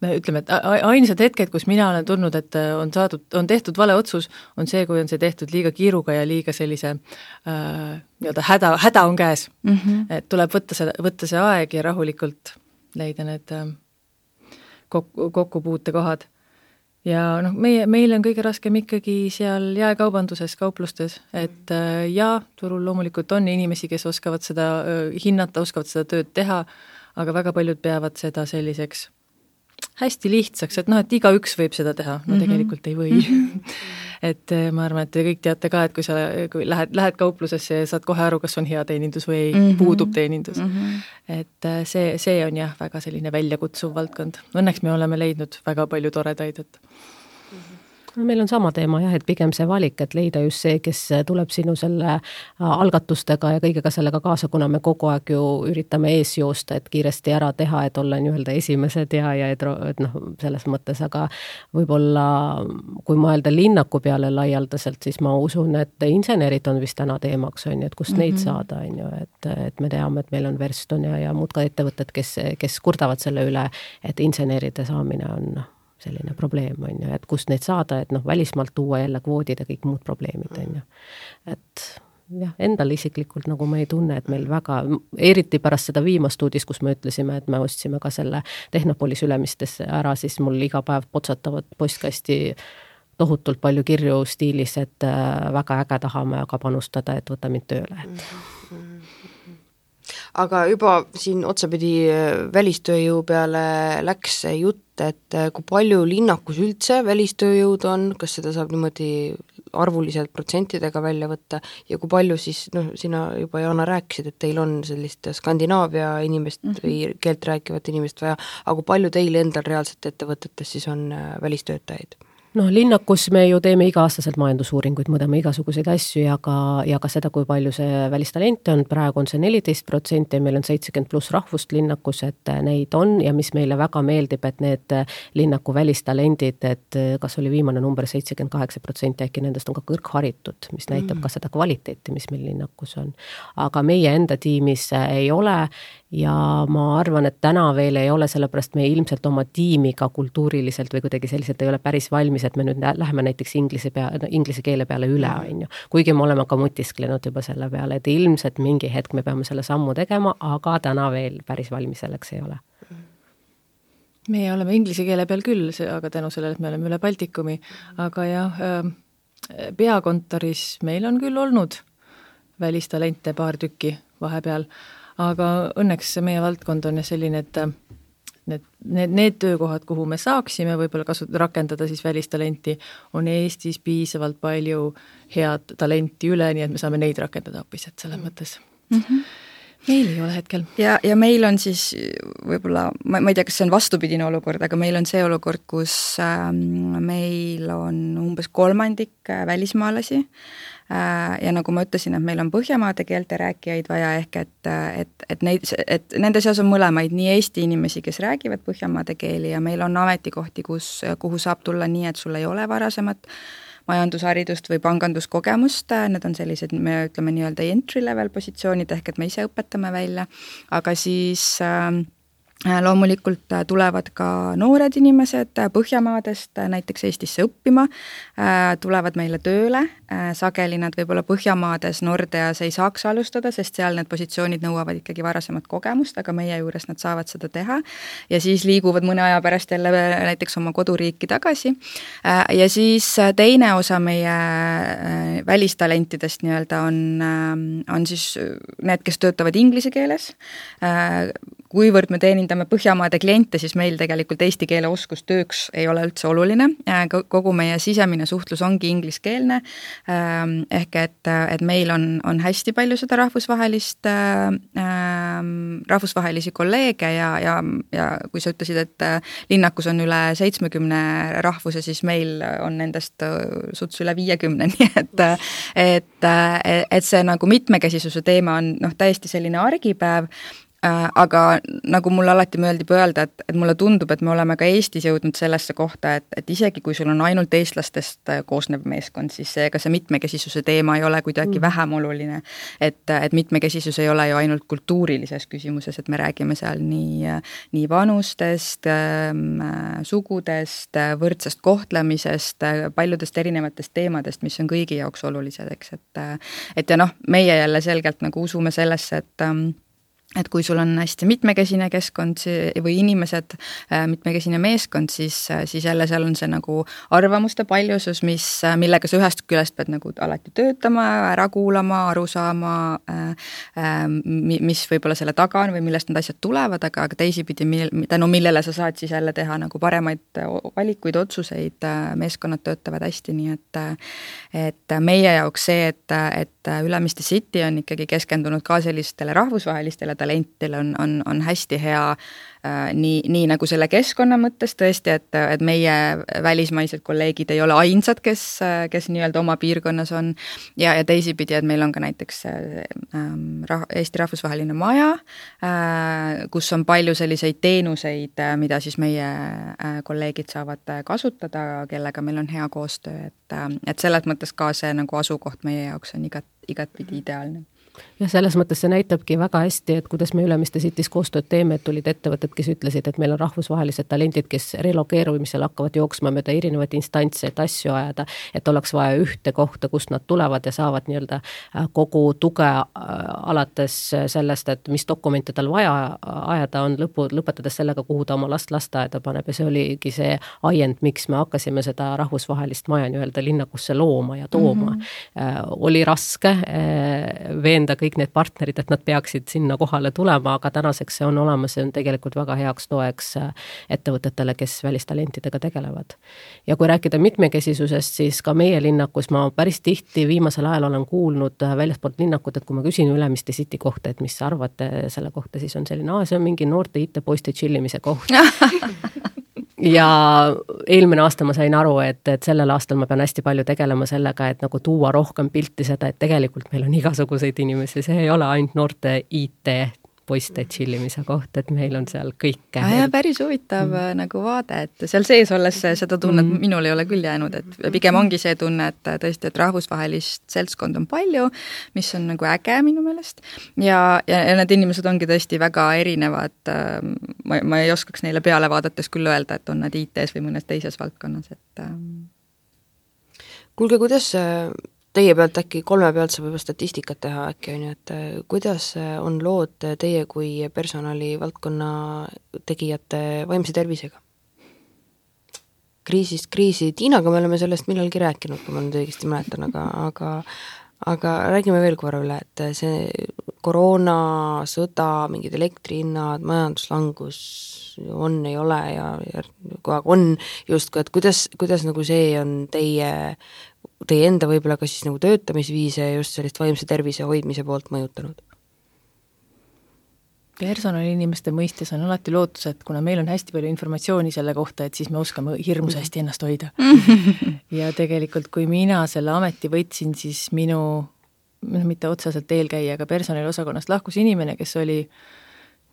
ütleme, et ainsad hetked, kus mina olen tundnud, et on tehtud vale otsus, on see, kui on see tehtud liiga kiiruga ja liiga sellise nii-öelda häda on käes. Et tuleb võtta see aeg ja rahulikult leida need kokkupuutekohad. Ja meil on kõige raskem ikkagi seal jaekaubanduses, kauplustes, et turul loomulikult on inimesi, kes oskavad seda hinnata, oskavad seda tööd teha, aga väga paljud peavad seda selliseks hästi lihtsaks, et et igaüks võib seda teha, tegelikult ei või. Et ma arvan, et te kõik teate ka, et kui lähed kauplusesse ja saad kohe aru, kas on hea teenindus või ei, puudub teenindus. Et see on jah, väga selline väljakutsuv valdkond. Õnneks me oleme leidnud väga palju toredaid, et meil on sama teema jah, et pigem see valik, et leida just see, kes tuleb sinu selle algatustega ja kõigega sellega kaasa, kuna me kogu aeg ju üritame ees joosta, et kiiresti ära teha, et olla nii-öelda esimesed ja et selles mõttes, aga võib-olla kui mõelda linnaku peale laialdaselt, siis ma usun, et insenerid on vist täna teemaks, on ju, et kust neid saada, on ju, et me teame, et meil on Verston ja muud ka ettevõtted, kes kurdavad selle üle, et inseneride saamine on selline probleem, on ju, et kust neid saada, et välismaalt tuua jälle kvoodid ja kõik muud probleemid, on ju. Et jah, endal isiklikult nagu ma ei tunne, et meil väga, eriti pärast seda viimast uudist, kus me ütlesime, et me ostsime ka selle Tehnopolis Ülemistesse ära, siis mul iga päev potsatavad postkasti tohutult palju kirju stiilis, et väga äge tahame aga panustada, et võta mind tööle. Aga juba siin otsapidi välistööjõu peale läks jutt, et kui palju linnakus üldse välistööjõud on, kas seda saab niimoodi arvuliselt protsentidega välja võtta ja kui palju siis, sina juba Jaana rääkisid, et teil on sellist Skandinaavia inimest või keelt rääkivat inimest vaja, aga kui palju teil endal reaalselt ettevõtetes siis on välistöötajaid? Linnakus me ju teeme iga-aastaselt majandusuuringuid, mõõdame igasuguseid asju ja ka seda, kui palju see välistalente on, praegu on see 14% ja meil on 70+ rahvust linnakus, et neid on ja mis meile väga meeldib, et need linnaku välistalendid, et kas oli viimane number 78%, äkki nendest on ka kõrgharitud, mis näitab ka seda kvaliteeti, mis meil linnakus on. Aga meie enda tiimis ei ole ja ma arvan, et täna veel ei ole, sellepärast me ilmselt oma tiimiga kultuuriliselt või kuidagi selliselt ei ole päris valmis, et me nüüd läheme näiteks inglise keele peale üle, on ju. Kuigi me oleme ka mutisklenud juba selle peale, et ilmselt mingi hetk me peame selle sammu tegema, aga täna veel päris valmis selleks ei ole. Meie oleme inglise keele peal küll, aga tänu sellele, et me oleme üle Baltikumi, aga jah, peakontoris meil on küll olnud välistalente paar tükki vahepeal, aga õnneks meie valdkond on selline, et need töökohad, kuhu me saaksime võib-olla rakendada siis välistalenti, on Eestis piisavalt palju head talenti üle, nii et me saame neid rakendada hoopis, et selles mõttes meil ei ole hetkel. Ja meil on siis võib-olla, ma ei tea, kas see on vastupidine olukord, aga meil on see olukord, kus meil on umbes 1/3 välismaalasi, ja nagu ma ütlesin, et meil on Põhjamaade keelte rääkijaid vaja, ehk et nende seas on mõlemaid, nii Eesti inimesi, kes räägivad Põhjamaade keeli ja meil on ametikohti, kuhu saab tulla nii, et sul ei ole varasemat majandusharidust või panganduskogemust, need on sellised, me ütleme nii-öelda entry level positsioonid, ehk et me ise õpetame välja, aga siis loomulikult tulevad ka noored inimesed Põhjamaadest näiteks Eestisse õppima, tulevad meile tööle, sageli nad võib-olla Põhjamaades Nordeas ei saaks alustada, sest seal need positsioonid nõuavad ikkagi varasemat kogemust, aga meie juures nad saavad seda teha ja siis liiguvad mõne aja pärast jälle näiteks oma koduriiki tagasi. Ja siis teine osa meie välistalentidest nii-öelda on siis need, kes töötavad inglise keeles. Kuivõrd me teenindame Põhjamaade kliente, siis meil tegelikult eesti keele oskus tööks ei ole üldse oluline. Kogu meie sisemine suhtlus ongi ingliskeelne, ehk et meil on hästi palju seda rahvusvahelisi kolleege ja kui sa ütlesid, et linnakus on üle 70 rahvuse, siis meil on nendest suts üle 50, nii et see nagu mitmekesisuse teema on täiesti selline argipäev, aga nagu mulle alati meeldib öelda, et mulle tundub, et me oleme ka Eestis jõudnud sellesse kohta, et isegi kui sul on ainult eestlastest koosnev meeskond, siis ka see mitmekesisuse teema ei ole kuidagi vähem oluline. Et mitmekesisus ei ole ju ainult kultuurilises küsimuses, et me räägime seal nii vanustest, sugudest, võrdsest kohtlemisest, paljudest erinevatest teemadest, mis on kõigi jaoks olulised, eks. Et ja meie jälle selgelt nagu usume sellesse, et kui sul on hästi mitmekesine keskkond või inimesed, mitmekesine meeskond, siis jälle seal on see nagu arvamuste paljusus, millega sa ühest küljest pead nagu alati töötama, ära kuulama, aru saama, mis võib-olla selle taga on või millest need asjad tulevad, aga teisipidi, tänu millele sa saad siis jälle teha nagu paremaid valikuid, otsuseid, meeskonnad töötavad hästi, nii et meie jaoks see, et Ülemiste City on ikkagi keskendunud ka sellistele rahvusvahelistele talentidele on hästi hea nii nagu selle keskkonna mõttes tõesti, et meie välismaised kolleegid ei ole ainsad, kes nii-öelda oma piirkonnas on ja teisipidi, et meil on ka näiteks Eesti rahvusvaheline maja, kus on palju selliseid teenuseid, mida siis meie kolleegid saavad kasutada, kellega meil on hea koostöö, et selles mõttes ka see nagu asukoht meie jaoks on igatpidi ideaalne. Ja selles mõttes see näitabki väga hästi, et kuidas me Ülemiste City's koostööd teeme, et tulid ettevõtted, kes ütlesid, et meil on rahvusvahelised talendid, kes relokeerumisel hakkavad jooksma mööda erinevaid instantse, et asju ajada, et oleks vaja ühte kohta, kust nad tulevad ja saavad nii-öelda kogu tuge alates sellest, et mis dokumente tal vaja ajada on, lõpetades sellega, kuhu ta oma last lasteaeda paneb ja see oligi see ajend, miks me hakkasime seda rahvusvahelist maja nii-öelda linnakusse looma ja tooma. Oli raske veenda kõik need partnerid, et nad peaksid sinna kohale tulema, aga tänaseks see on olemas, see on tegelikult väga heaks toeks ettevõtetele, kes välistalentidega tegelevad. Ja kui rääkida mitmekesisusest, siis ka meie linnakus ma päris tihti viimasel ajal olen kuulnud väljaspoolt linnakut, et kui ma küsin Ülemiste City kohta, et mis arvate selle kohta, siis on selline, see on mingi noorte IT-poiste chillimise koht. Ja eelmine aasta ma sain aru, et sellel aastal ma pean hästi palju tegelema sellega, et nagu tuua rohkem pilti seda, et tegelikult meil on igasuguseid inimesi, see ei ole ainult noorte IT-poiste chillimise koht, et meil on seal kõike. Ja päris huvitav nagu vaade, et seal sees olles seda tunnet minul ei ole küll jäänud, et pigem ongi see tunne, et tõesti, et rahvusvahelist seltskond on palju, mis on nagu äge minu meelest ja need inimesed ongi tõesti väga erinevad, ma ei oskaks neile peale vaadates küll öelda, et on nad IT-s või mõnes teises valdkonnas, et Kuulge, kuidas teie pealt äkki 3 pealt saab juba statistikat teha äkki on ju, et kuidas on lood teie kui personalivaldkonna tegijate vaimse tervisega? Kriisist kriisi, Tiinaga me oleme sellest millalgi rääkinud, kui ma nüüd õigesti mäletan, aga räägime veel korra üle, et see koroona, sõda, mingid elektrihinnad, majanduslangus on, ei ole ja kogu aeg on justkui, et kuidas nagu see on teie enda võib-olla ka siis nagu töötamisviise ja just sellist vaimse tervise hoidmise poolt mõjutanud? Personaliinimeste mõistes on alati lootus, et kuna meil on hästi palju informatsiooni selle kohta, et siis me oskame hirmus hästi ennast hoida. Ja tegelikult, kui mina selle ameti võtsin, siis minu, mitte otseselt eelkäija, aga personaliosakonnast lahkus inimene, kes oli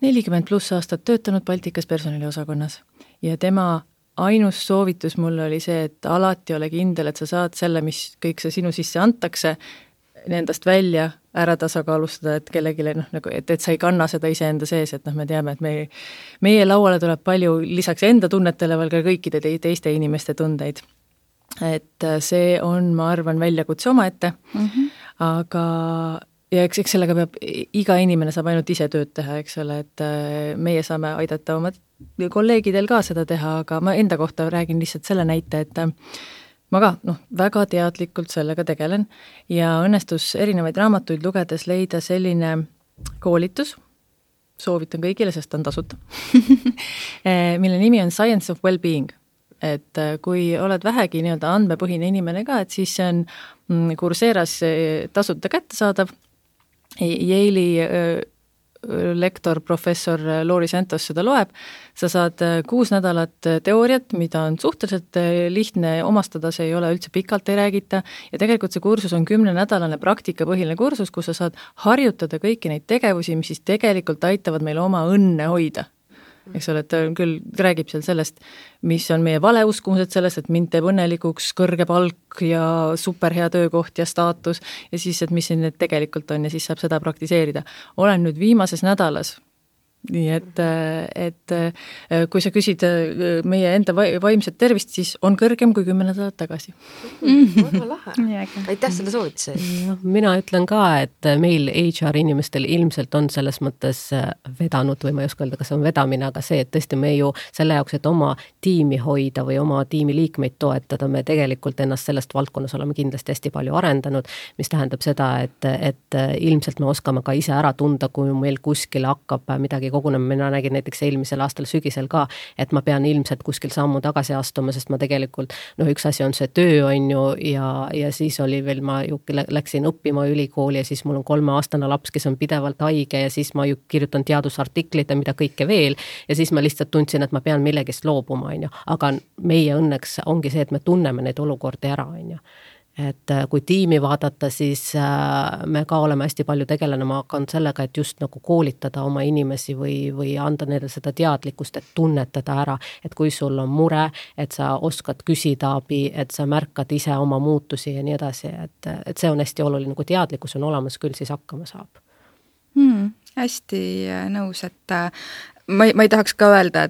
40+ aastat töötanud Baltikas personaliosakonnas ja tema ainus soovitus mulle oli see, et alati ole kindel, et sa saad selle, mis kõik see sinu sisse antakse, endast välja ära tasakaalustada, et kellelegi nagu, et sa ei kanna seda iseenda sees, et me teame, et meie lauale tuleb palju lisaks enda tunnetele veel ka kõikide teiste inimeste tundeid. Et see on, ma arvan, väljakutse omaette, aga ja eks sellega peab, iga inimene saab ainult ise tööd teha, eks ole, et meie saame aidata oma kolleegidel ka seda teha, aga ma enda kohta räägin lihtsalt selle näite, et ma ka väga teadlikult sellega tegelen ja õnnestus erinevaid raamatuid lugedes leida selline koolitus, soovitan kõigile, sest on tasuta, mille nimi on Science of Wellbeing. Et kui oled vähegi nii-öelda andmepõhine inimene ka, et siis see on Coursera's tasuta kättesaadav. Yale'i lektor, professor Lori Santos seda loeb, sa saad 6 nädalat teooriat, mida on suhteliselt lihtne omastada, see ei ole üldse pikalt, ei räägita, ja tegelikult see kursus on 10-nädalane praktikapõhiline kursus, kus sa saad harjutada kõiki neid tegevusi, mis siis tegelikult aitavad meil oma õnne hoida. Eks ole, et küll räägib seal sellest, mis on meie valeuskumused sellest, et mind teeb õnnelikuks kõrge palk ja superhea töökoht ja staatus ja siis, et mis siin need tegelikult on ja siis saab seda praktiseerida. Olen nüüd viimases nädalas, nii et kui sa küsid meie enda vaimset tervist, siis on kõrgem kui 10 nädalat tagasi. Väga lahe. Aitäh selle soovituse. Mina ütlen ka, et meil HR inimestel ilmselt on selles mõttes vedanud või ma ei oska öelda, kas on vedamine, aga see, et tõesti me ju selle jaoks, et oma tiimi hoida või oma tiimi liikmeid toetada, me tegelikult ennast sellest valdkonnas oleme kindlasti hästi palju arendanud, mis tähendab seda, et ilmselt me oskame ka ise ära tunda, kui meil kuskil hakkab midagi kogunema, mina nägin näiteks eelmisel aastal sügisel ka, et ma pean ilmselt kuskil sammu tagasi astuma, sest ma tegelikult, üks asi on see töö on ju ja siis oli veel, ma ju läksin õppima ülikooli ja siis mul on 3-aastane laps, kes on pidevalt haige ja siis ma ju kirjutan teadusartiklit ja mida kõike veel ja siis ma lihtsalt tundsin, et ma pean millegist loobuma, on ju. Aga meie õnneks ongi see, et me tunneme neid olukordi ära, on ju. Et kui tiimi vaadata, siis me ka oleme hästi palju tegelenema hakanud sellega, et just nagu koolitada oma inimesi või anda neile seda teadlikkust, et tunnetada ära, et kui sul on mure, et sa oskad küsida abi, et sa märkad ise oma muutusi ja nii edasi, et see on hästi oluline, kui teadlikkus on olemas, küll siis hakkama saab. Hästi nõus, et ma ei tahaks ka öelda,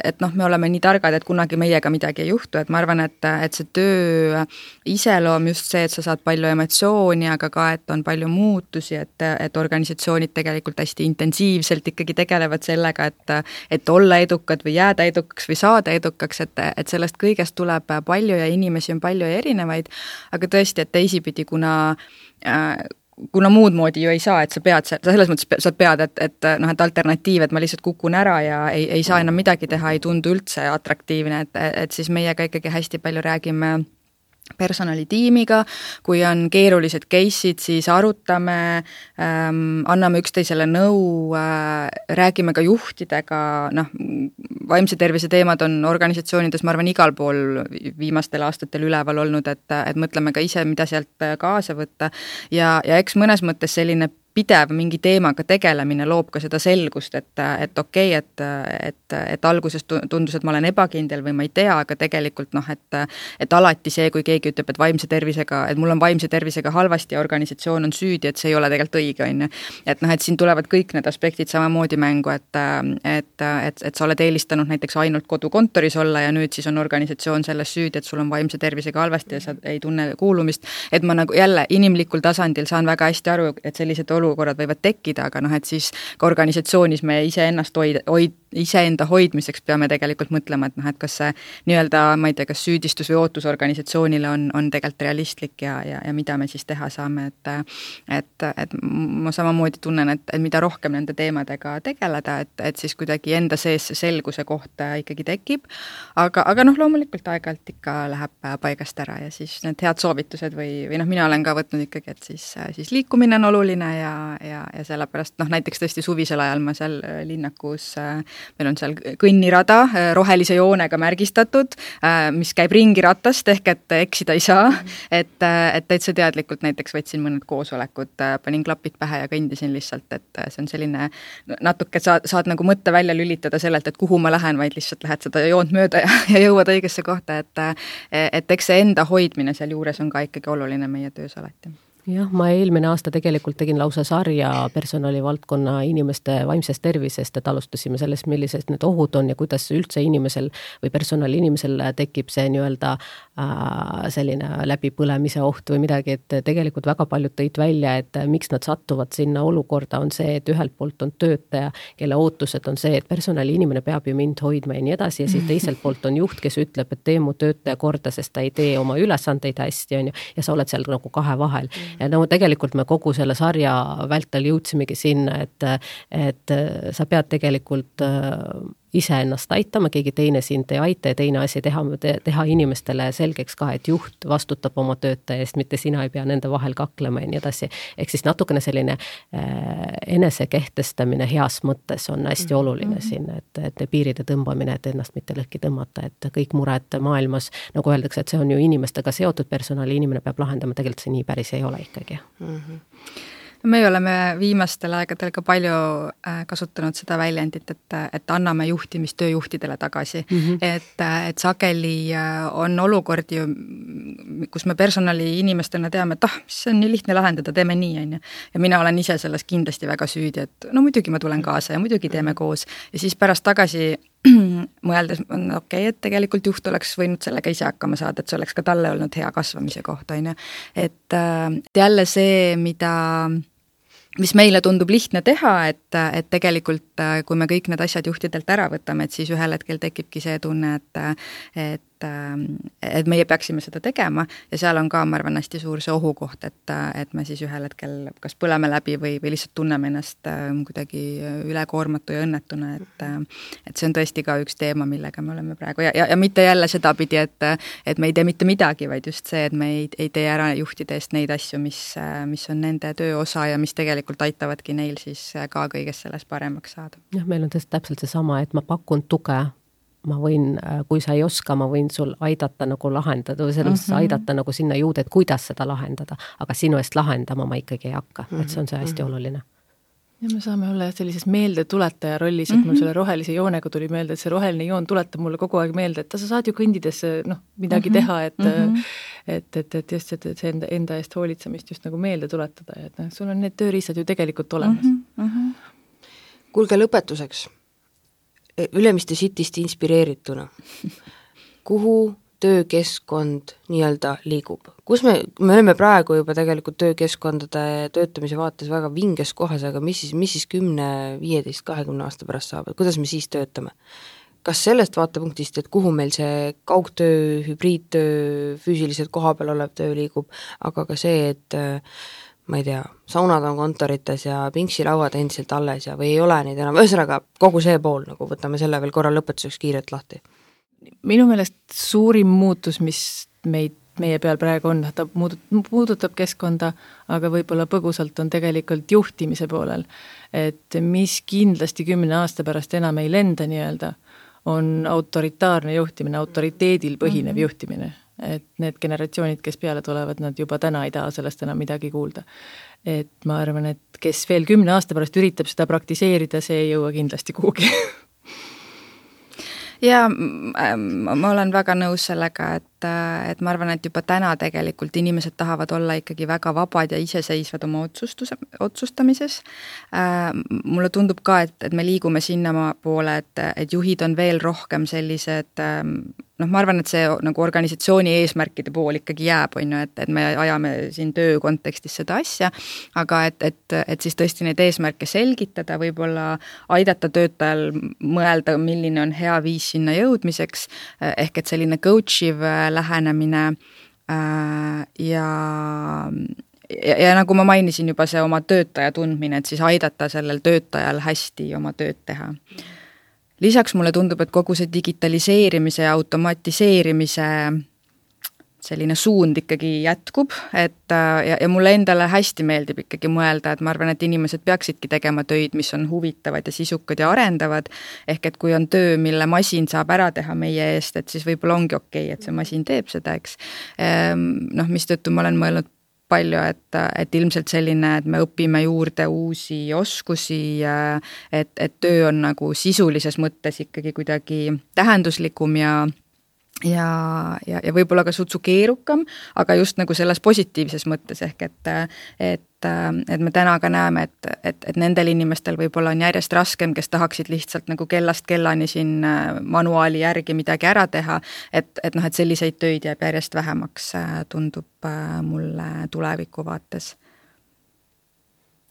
et me oleme nii targad, et kunagi meiega midagi ei juhtu, et ma arvan, et see töö iseloom just see, et sa saad palju emotsiooni, aga ka, et on palju muutusi, et organisatsioonid tegelikult hästi intensiivselt ikkagi tegelevad sellega, et olla edukad või jääda edukaks või saada edukaks, et sellest kõigest tuleb palju ja inimesi on palju ja erinevaid, aga tõesti, et teisipidi, kuna muud moodi ju ei saa, et sa pead, selles mõttes sa pead, et alternatiiv, et ma lihtsalt kukun ära ja ei saa enam midagi teha, ei tundu üldse atraktiivne, et siis meiega ikkagi hästi palju räägime personalitiimiga, kui on keerulised case'id, siis arutame, anname üksteisele nõu, räägime ka juhtidega, vaimse tervise teemad on organisatsioonides, ma arvan, igal pool viimastel aastatel üleval olnud, et mõtleme ka ise, mida sealt kaasa võtta ja eks mõnes mõttes selline pidev mingi teemaga tegelemine loob ka seda selgust, et okei, et alguses tundus, et ma olen ebakindel või ma ei tea, aga tegelikult et alati see, kui keegi ütleb, et mul on vaimse tervisega halvasti ja organisatsioon on süüdi, et see ei ole tegelikult õige, on ju. Et siin tulevad kõik need aspektid samamoodi mängu, et sa oled eelistanud näiteks ainult kodukontoris olla ja nüüd siis on organisatsioon selles süüdi, et sul on vaimse tervisega halvasti ja sa ei tunne kuulumist, et ma nagu jälle inimlikul tasandil saan väga hästi aru, et sellised olukorrad võivad tekkida, aga et siis ka organisatsioonis me iseenda hoidmiseks peame tegelikult mõtlema, et kas see nii-öelda, ma ei tea, kas süüdistus või ootus organisatsioonile on tegelikult realistlik ja mida me siis teha saame, et ma samamoodi tunnen, et mida rohkem nende teemadega tegeleda, et siis kuidagi enda sees see selguse koht ikkagi tekib, aga loomulikult aeg-ajalt ikka läheb paigast ära ja siis need head soovitused või mina olen ka võtnud ikkagi, et siis liikumine on oluline ja sellepärast näiteks tõesti suvisel ajal ma seal linnakus, meil on seal kõnnirada rohelise joonega märgistatud, mis käib ringiratast ehk et eksida ei saa, et täitsa teadlikult näiteks võtsin mõned koosolekud, panin klapid pähe ja kõndisin lihtsalt, et see on selline natuke, saad nagu mõtte välja lülitada sellelt, et kuhu ma lähen, vaid lihtsalt lähed seda joont mööda ja jõuad õigesse kohta, et eks see enda hoidmine seal juures on ka ikkagi oluline meie töös alati. Jah, ma eelmine aasta tegelikult tegin lausa sarja personalivaldkonna inimeste vaimsest tervisest, et alustasime sellest, millised need ohud on ja kuidas üldse inimesel või personali inimesel tekib see nii-öelda selline läbipõlemise oht või midagi, et tegelikult väga paljud tõid välja, et miks nad sattuvad sinna olukorda, on see, et ühelt poolt on töötaja, kelle ootused on see, et personali inimene peab ju mind hoidma ja nii edasi ja siis teiselt poolt on juht, kes ütleb, et tee mu töötaja korda, sest ta ei tee oma ülesandeid hästi, on ju, ja sa oled seal nagu kahe vahel. Ja no tegelikult me kogu selle sarja vältel jõudsimegi sinna, et sa pead tegelikult ise ennast aitama, keegi teine sind ei aita ja teine asi teha inimestele selgeks ka, et juht vastutab oma töötaja eest, mitte sina ei pea nende vahel kaklema ja nii edasi. Ehk siis natukene selline enesekehtestamine heas mõttes on hästi oluline siin, et piiride tõmbamine, et ennast mitte lõhki tõmmata, et kõik mured maailmas, nagu öeldakse, et see on ju inimestega seotud personali, inimene peab lahendama, tegelikult see nii päris ei ole ikkagi. Me oleme viimastel aegadel ka palju kasutanud seda väljendit, et anname juhtimist tööjuhtidele tagasi. Et sageli on olukord ju, kus me personali inimestena teame, et see on nii lihtne lahendada, teeme nii, on ju. Ja mina olen ise selles kindlasti väga süüdi, et no muidugi ma tulen kaasa ja muidugi teeme koos. Ja siis pärast tagasi mõeldes on okei, et tegelikult juht oleks võinud sellega ise hakkama saada, et see oleks ka talle olnud hea kasvamise koht, on ju. Et jälle see, mis meile tundub lihtne teha, et tegelikult kui me kõik need asjad juhtidelt ära võtame, et siis ühel hetkel tekibki see tunne, et meie peaksime seda tegema ja seal on ka, ma arvan, hästi suur see ohukoht, et me siis ühel hetkel kas põleme läbi või lihtsalt tunneme ennast kuidagi ülekoormatu ja õnnetuna, et see on tõesti ka üks teema, millega me oleme praegu ja mitte jälle seda pidi, et me ei tee mitte midagi, vaid just see, et me ei tee ära juhtide eest neid asju, mis on nende töö osa ja mis tegelikult aitavadki neil siis ka kõigest sellest paremaks saada. Jah, meil on täpselt seesama, et ma pakun tuge, ma võin, kui sa ei oska, ma võin sul aidata nagu lahendada või selles aidata nagu sinna jõuda, et kuidas seda lahendada, aga sinu eest lahendama ma ikkagi ei hakka, et see on see hästi oluline. Ja me saame olla sellises meeldetuletaja rollis, et mul selle rohelise joonega tuli meelde, et see roheline joon tuletab mulle kogu aeg meelde, et sa saad ju kõndides midagi teha, et just see enda eest hoolitsemist just nagu meelde tuletada, et sul on need tööriistad ju tegelikult olemas. Kuulge lõpetuseks. Ülemiste Cityst inspireerituna. Kuhu töökeskkond nii-öelda liigub? Kus me oleme praegu juba tegelikult töökeskkondade töötamise vaates väga vinges kohas, aga mis siis 10, 15, 20 aasta pärast saab? Kuidas me siis töötame? Kas sellest vaatepunktist, et kuhu meil see kaugtöö, hübriidtöö, füüsiliselt kohapeal olev töö liigub, aga ka see, et ma ei tea, saunad on kontorites ja pingsilauad endiselt alles ja või ei ole neid enam, ühesõnaga kogu see pool, nagu võtame selle veel korra lõpetuseks kiirelt lahti. Minu meelest suurim muutus, mis meie peal praegu on, ta puudutab keskkonda, aga võib-olla põgusalt on tegelikult juhtimise poolel. Et mis kindlasti 10 aasta pärast enam ei lenda nii-öelda, on autoritaarne juhtimine, autoriteedil põhinev juhtimine. Et need generatsioonid, kes peale tulevad, nad juba täna ei taha sellest enam midagi kuulda. Et ma arvan, et kes veel 10 aasta pärast üritab seda praktiseerida, see ei jõua kindlasti kuhugi. Ja ma olen väga nõus sellega, et ma arvan, et juba täna tegelikult inimesed tahavad olla ikkagi väga vabad ja iseseisvad oma otsustamises. Mulle tundub ka, et me liigume sinna poole, et juhid on veel rohkem sellised, ma arvan, et see nagu organisatsiooni eesmärkide pool ikkagi jääb, et me ajame siin töö kontekstis seda asja, aga et siis tõesti neid eesmärke selgitada, võib-olla aidata töötajal mõelda, milline on hea viis sinna jõudmiseks, ehk et selline coachiv lähenemine ja nagu ma mainisin juba see oma töötaja tundmine, et siis aidata sellel töötajal hästi oma tööd teha. Lisaks mulle tundub, et kogu see digitaliseerimise ja automatiseerimise selline suund ikkagi jätkub, ja mulle endale hästi meeldib ikkagi mõelda, et ma arvan, et inimesed peaksidki tegema töid, mis on huvitavad ja sisukad ja arendavad, ehk et kui on töö, mille masin saab ära teha meie eest, et siis võib-olla ongi okei, et see masin teeb seda, eks. Mistõttu ma olen mõelnud palju, et ilmselt selline, et me õpime juurde uusi oskusi, et töö on nagu sisulises mõttes ikkagi kuidagi tähenduslikum ja ja võib-olla ka sutsu keerukam, aga just nagu selles positiivses mõttes, ehk et me täna ka näeme, et nendel inimestel võib-olla on järjest raskem, kes tahaksid lihtsalt nagu kellast kellani siin manuaali järgi midagi ära teha, et selliseid töid jääb järjest vähemaks, tundub mulle tuleviku vaates.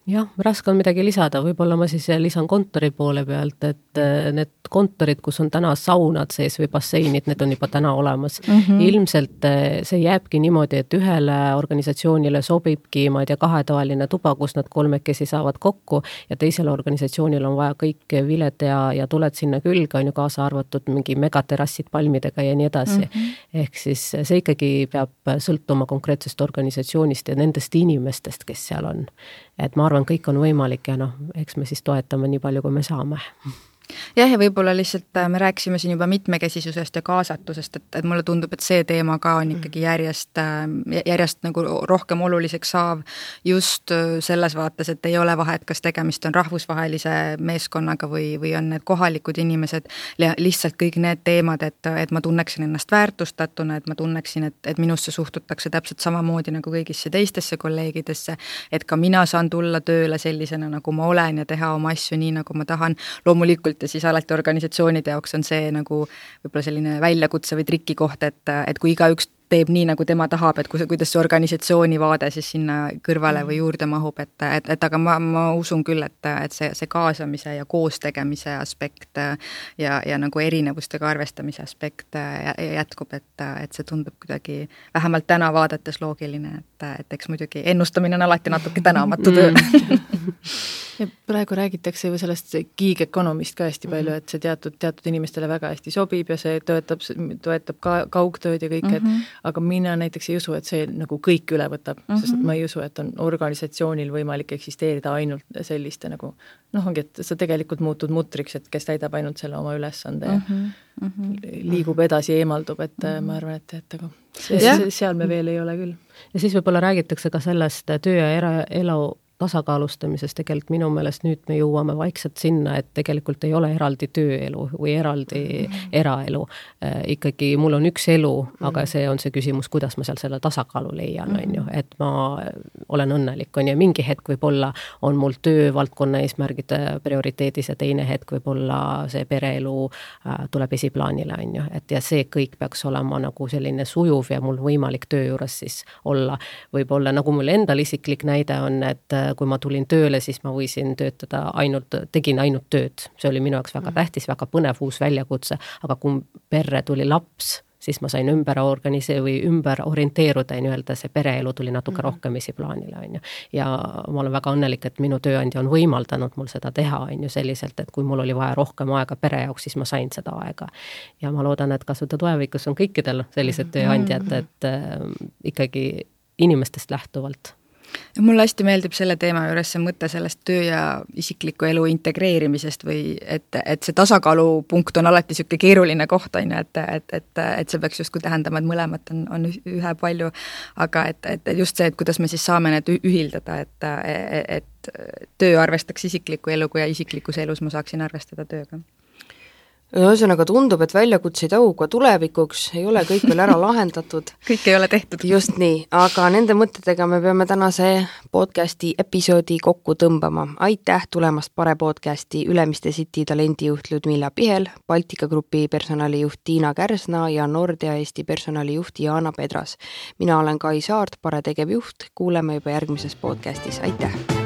Jah, raske on midagi lisada, võib-olla ma siis lisan kontori poole pealt, et need kontorid, kus on täna saunad sees või basseinid, need on juba täna olemas. Ilmselt see jääbki niimoodi, et ühele organisatsioonile sobibki, ma ei tea, kahetoaline tuba, kus nad kolmekesi saavad kokku ja teisele organisatsioonil on vaja kõik viled ja tuled sinna külge, on ju kaasa arvatud mingi megaterassid palmidega ja nii edasi. Ehk siis see ikkagi peab sõltuma konkreetsest organisatsioonist ja nendest inimestest, kes seal on. Et ma arvan, kõik on võimalik ja eks me siis toetame nii palju, kui me saame. Jah, ja võib-olla lihtsalt me rääkisime siin juba mitmekesisusest ja kaasatusest, et mulle tundub, et see teema ka on ikkagi järjest nagu rohkem oluliseks saav just selles vaates, et ei ole vahet, kas tegemist on rahvusvahelise meeskonnaga või on need kohalikud inimesed, lihtsalt kõik need teemad, et ma tunneksin ennast väärtustatuna, et ma tunneksin, et minusse suhtutakse täpselt samamoodi nagu kõigisse teistesse kolleegidesse, et ka mina saan tulla tööle sellisena, nagu ma olen ja teha oma asju nii, nagu ma tahan. Loomulikult ja siis alati organisatsioonide jaoks on see nagu võib-olla selline väljakutse või trikikoht, et kui igaüks teeb nii, nagu tema tahab, et kuidas see organisatsiooni vaade siis sinna kõrvale või juurde mahub, et aga ma usun küll, et see kaasamise ja koostegemise aspekt ja nagu erinevustega arvestamise aspekt jätkub, et see tundub kuidagi vähemalt täna vaadates loogiline, et eks muidugi ennustamine on alati natuke tänamatu töö. Ja praegu räägitakse ju sellest gig economist ka hästi palju, et see teatud inimestele väga hästi sobib ja see toetab ka kaugtööd ja kõik, aga mina näiteks ei usu, et see nagu kõik üle võtab, sest ma ei usu, et on organisatsioonil võimalik eksisteerida ainult selliste nagu, ongi, et sa tegelikult muutud mutriks, et kes täidab ainult selle oma ülesande ja liigub edasi, eemaldub, et ma arvan, et aga seal me veel ei ole küll. Ja siis võib-olla räägitakse ka sellest töö ja eraelu tasakaalustamises tegelikult minu meelest nüüd me jõuame vaikselt sinna, et tegelikult ei ole eraldi tööelu või eraldi eraelu. Ikkagi mul on üks elu, aga see on see küsimus, kuidas ma seal selle tasakaalu leian, on ju, et ma olen õnnelik, on ja mingi hetk võib-olla on mul töövaldkonna eesmärgid prioriteedis ja teine hetk võib-olla see pereelu tuleb esiplaanile, on ju, et ja see kõik peaks olema nagu selline sujuv ja mul võimalik töö juures siis olla. Võib-olla nagu mul endal isiklik näide on, et kui ma tulin tööle, siis ma võisin tegin ainult tööd. See oli minu jaoks väga tähtis, väga põnev uus väljakutse, aga kui perre tuli laps, siis ma sain ümber orienteeruda ja nii-öelda see pereelu tuli natuke rohkem esiplaanile, on ju. Ja ma olen väga õnnelik, et minu tööandja on võimaldanud mul seda teha, on ju, selliselt, et kui mul oli vaja rohkem aega pere jaoks, siis ma sain seda aega. Ja ma loodan, et ka seda tulevikus on kõikidel sellised tööandjad, et ikkagi inimestest lähtuvalt. Mulle hästi meeldib selle teema juures see mõte sellest töö ja isikliku elu integreerimisest või et see tasakaalupunkt on alati selline keeruline koht, on ju, et see peaks justkui tähendama, et mõlemat on ühe palju, aga et just see, et kuidas me siis saame need ühildada, et töö arvestaks isikliku eluga ja isiklikus elus ma saaksin arvestada tööga. Ühesõnaga tundub, et väljakutseid auga tulevikuks ei ole kõik veel ära lahendatud. Kõik ei ole tehtud. Just nii, aga nende mõtetega me peame tänase podcasti episoodi kokku tõmbama. Aitäh tulemast Pare podcasti Ülemiste City talendijuht Ludmilla Pihel, Baltika Grupi personalijuht Tiina Kärsna ja Nordea Eesti personalijuht Jaana Pedras. Mina olen Kai Saart, Pare tegevjuht. Kuuleme juba järgmises podcastis. Aitäh!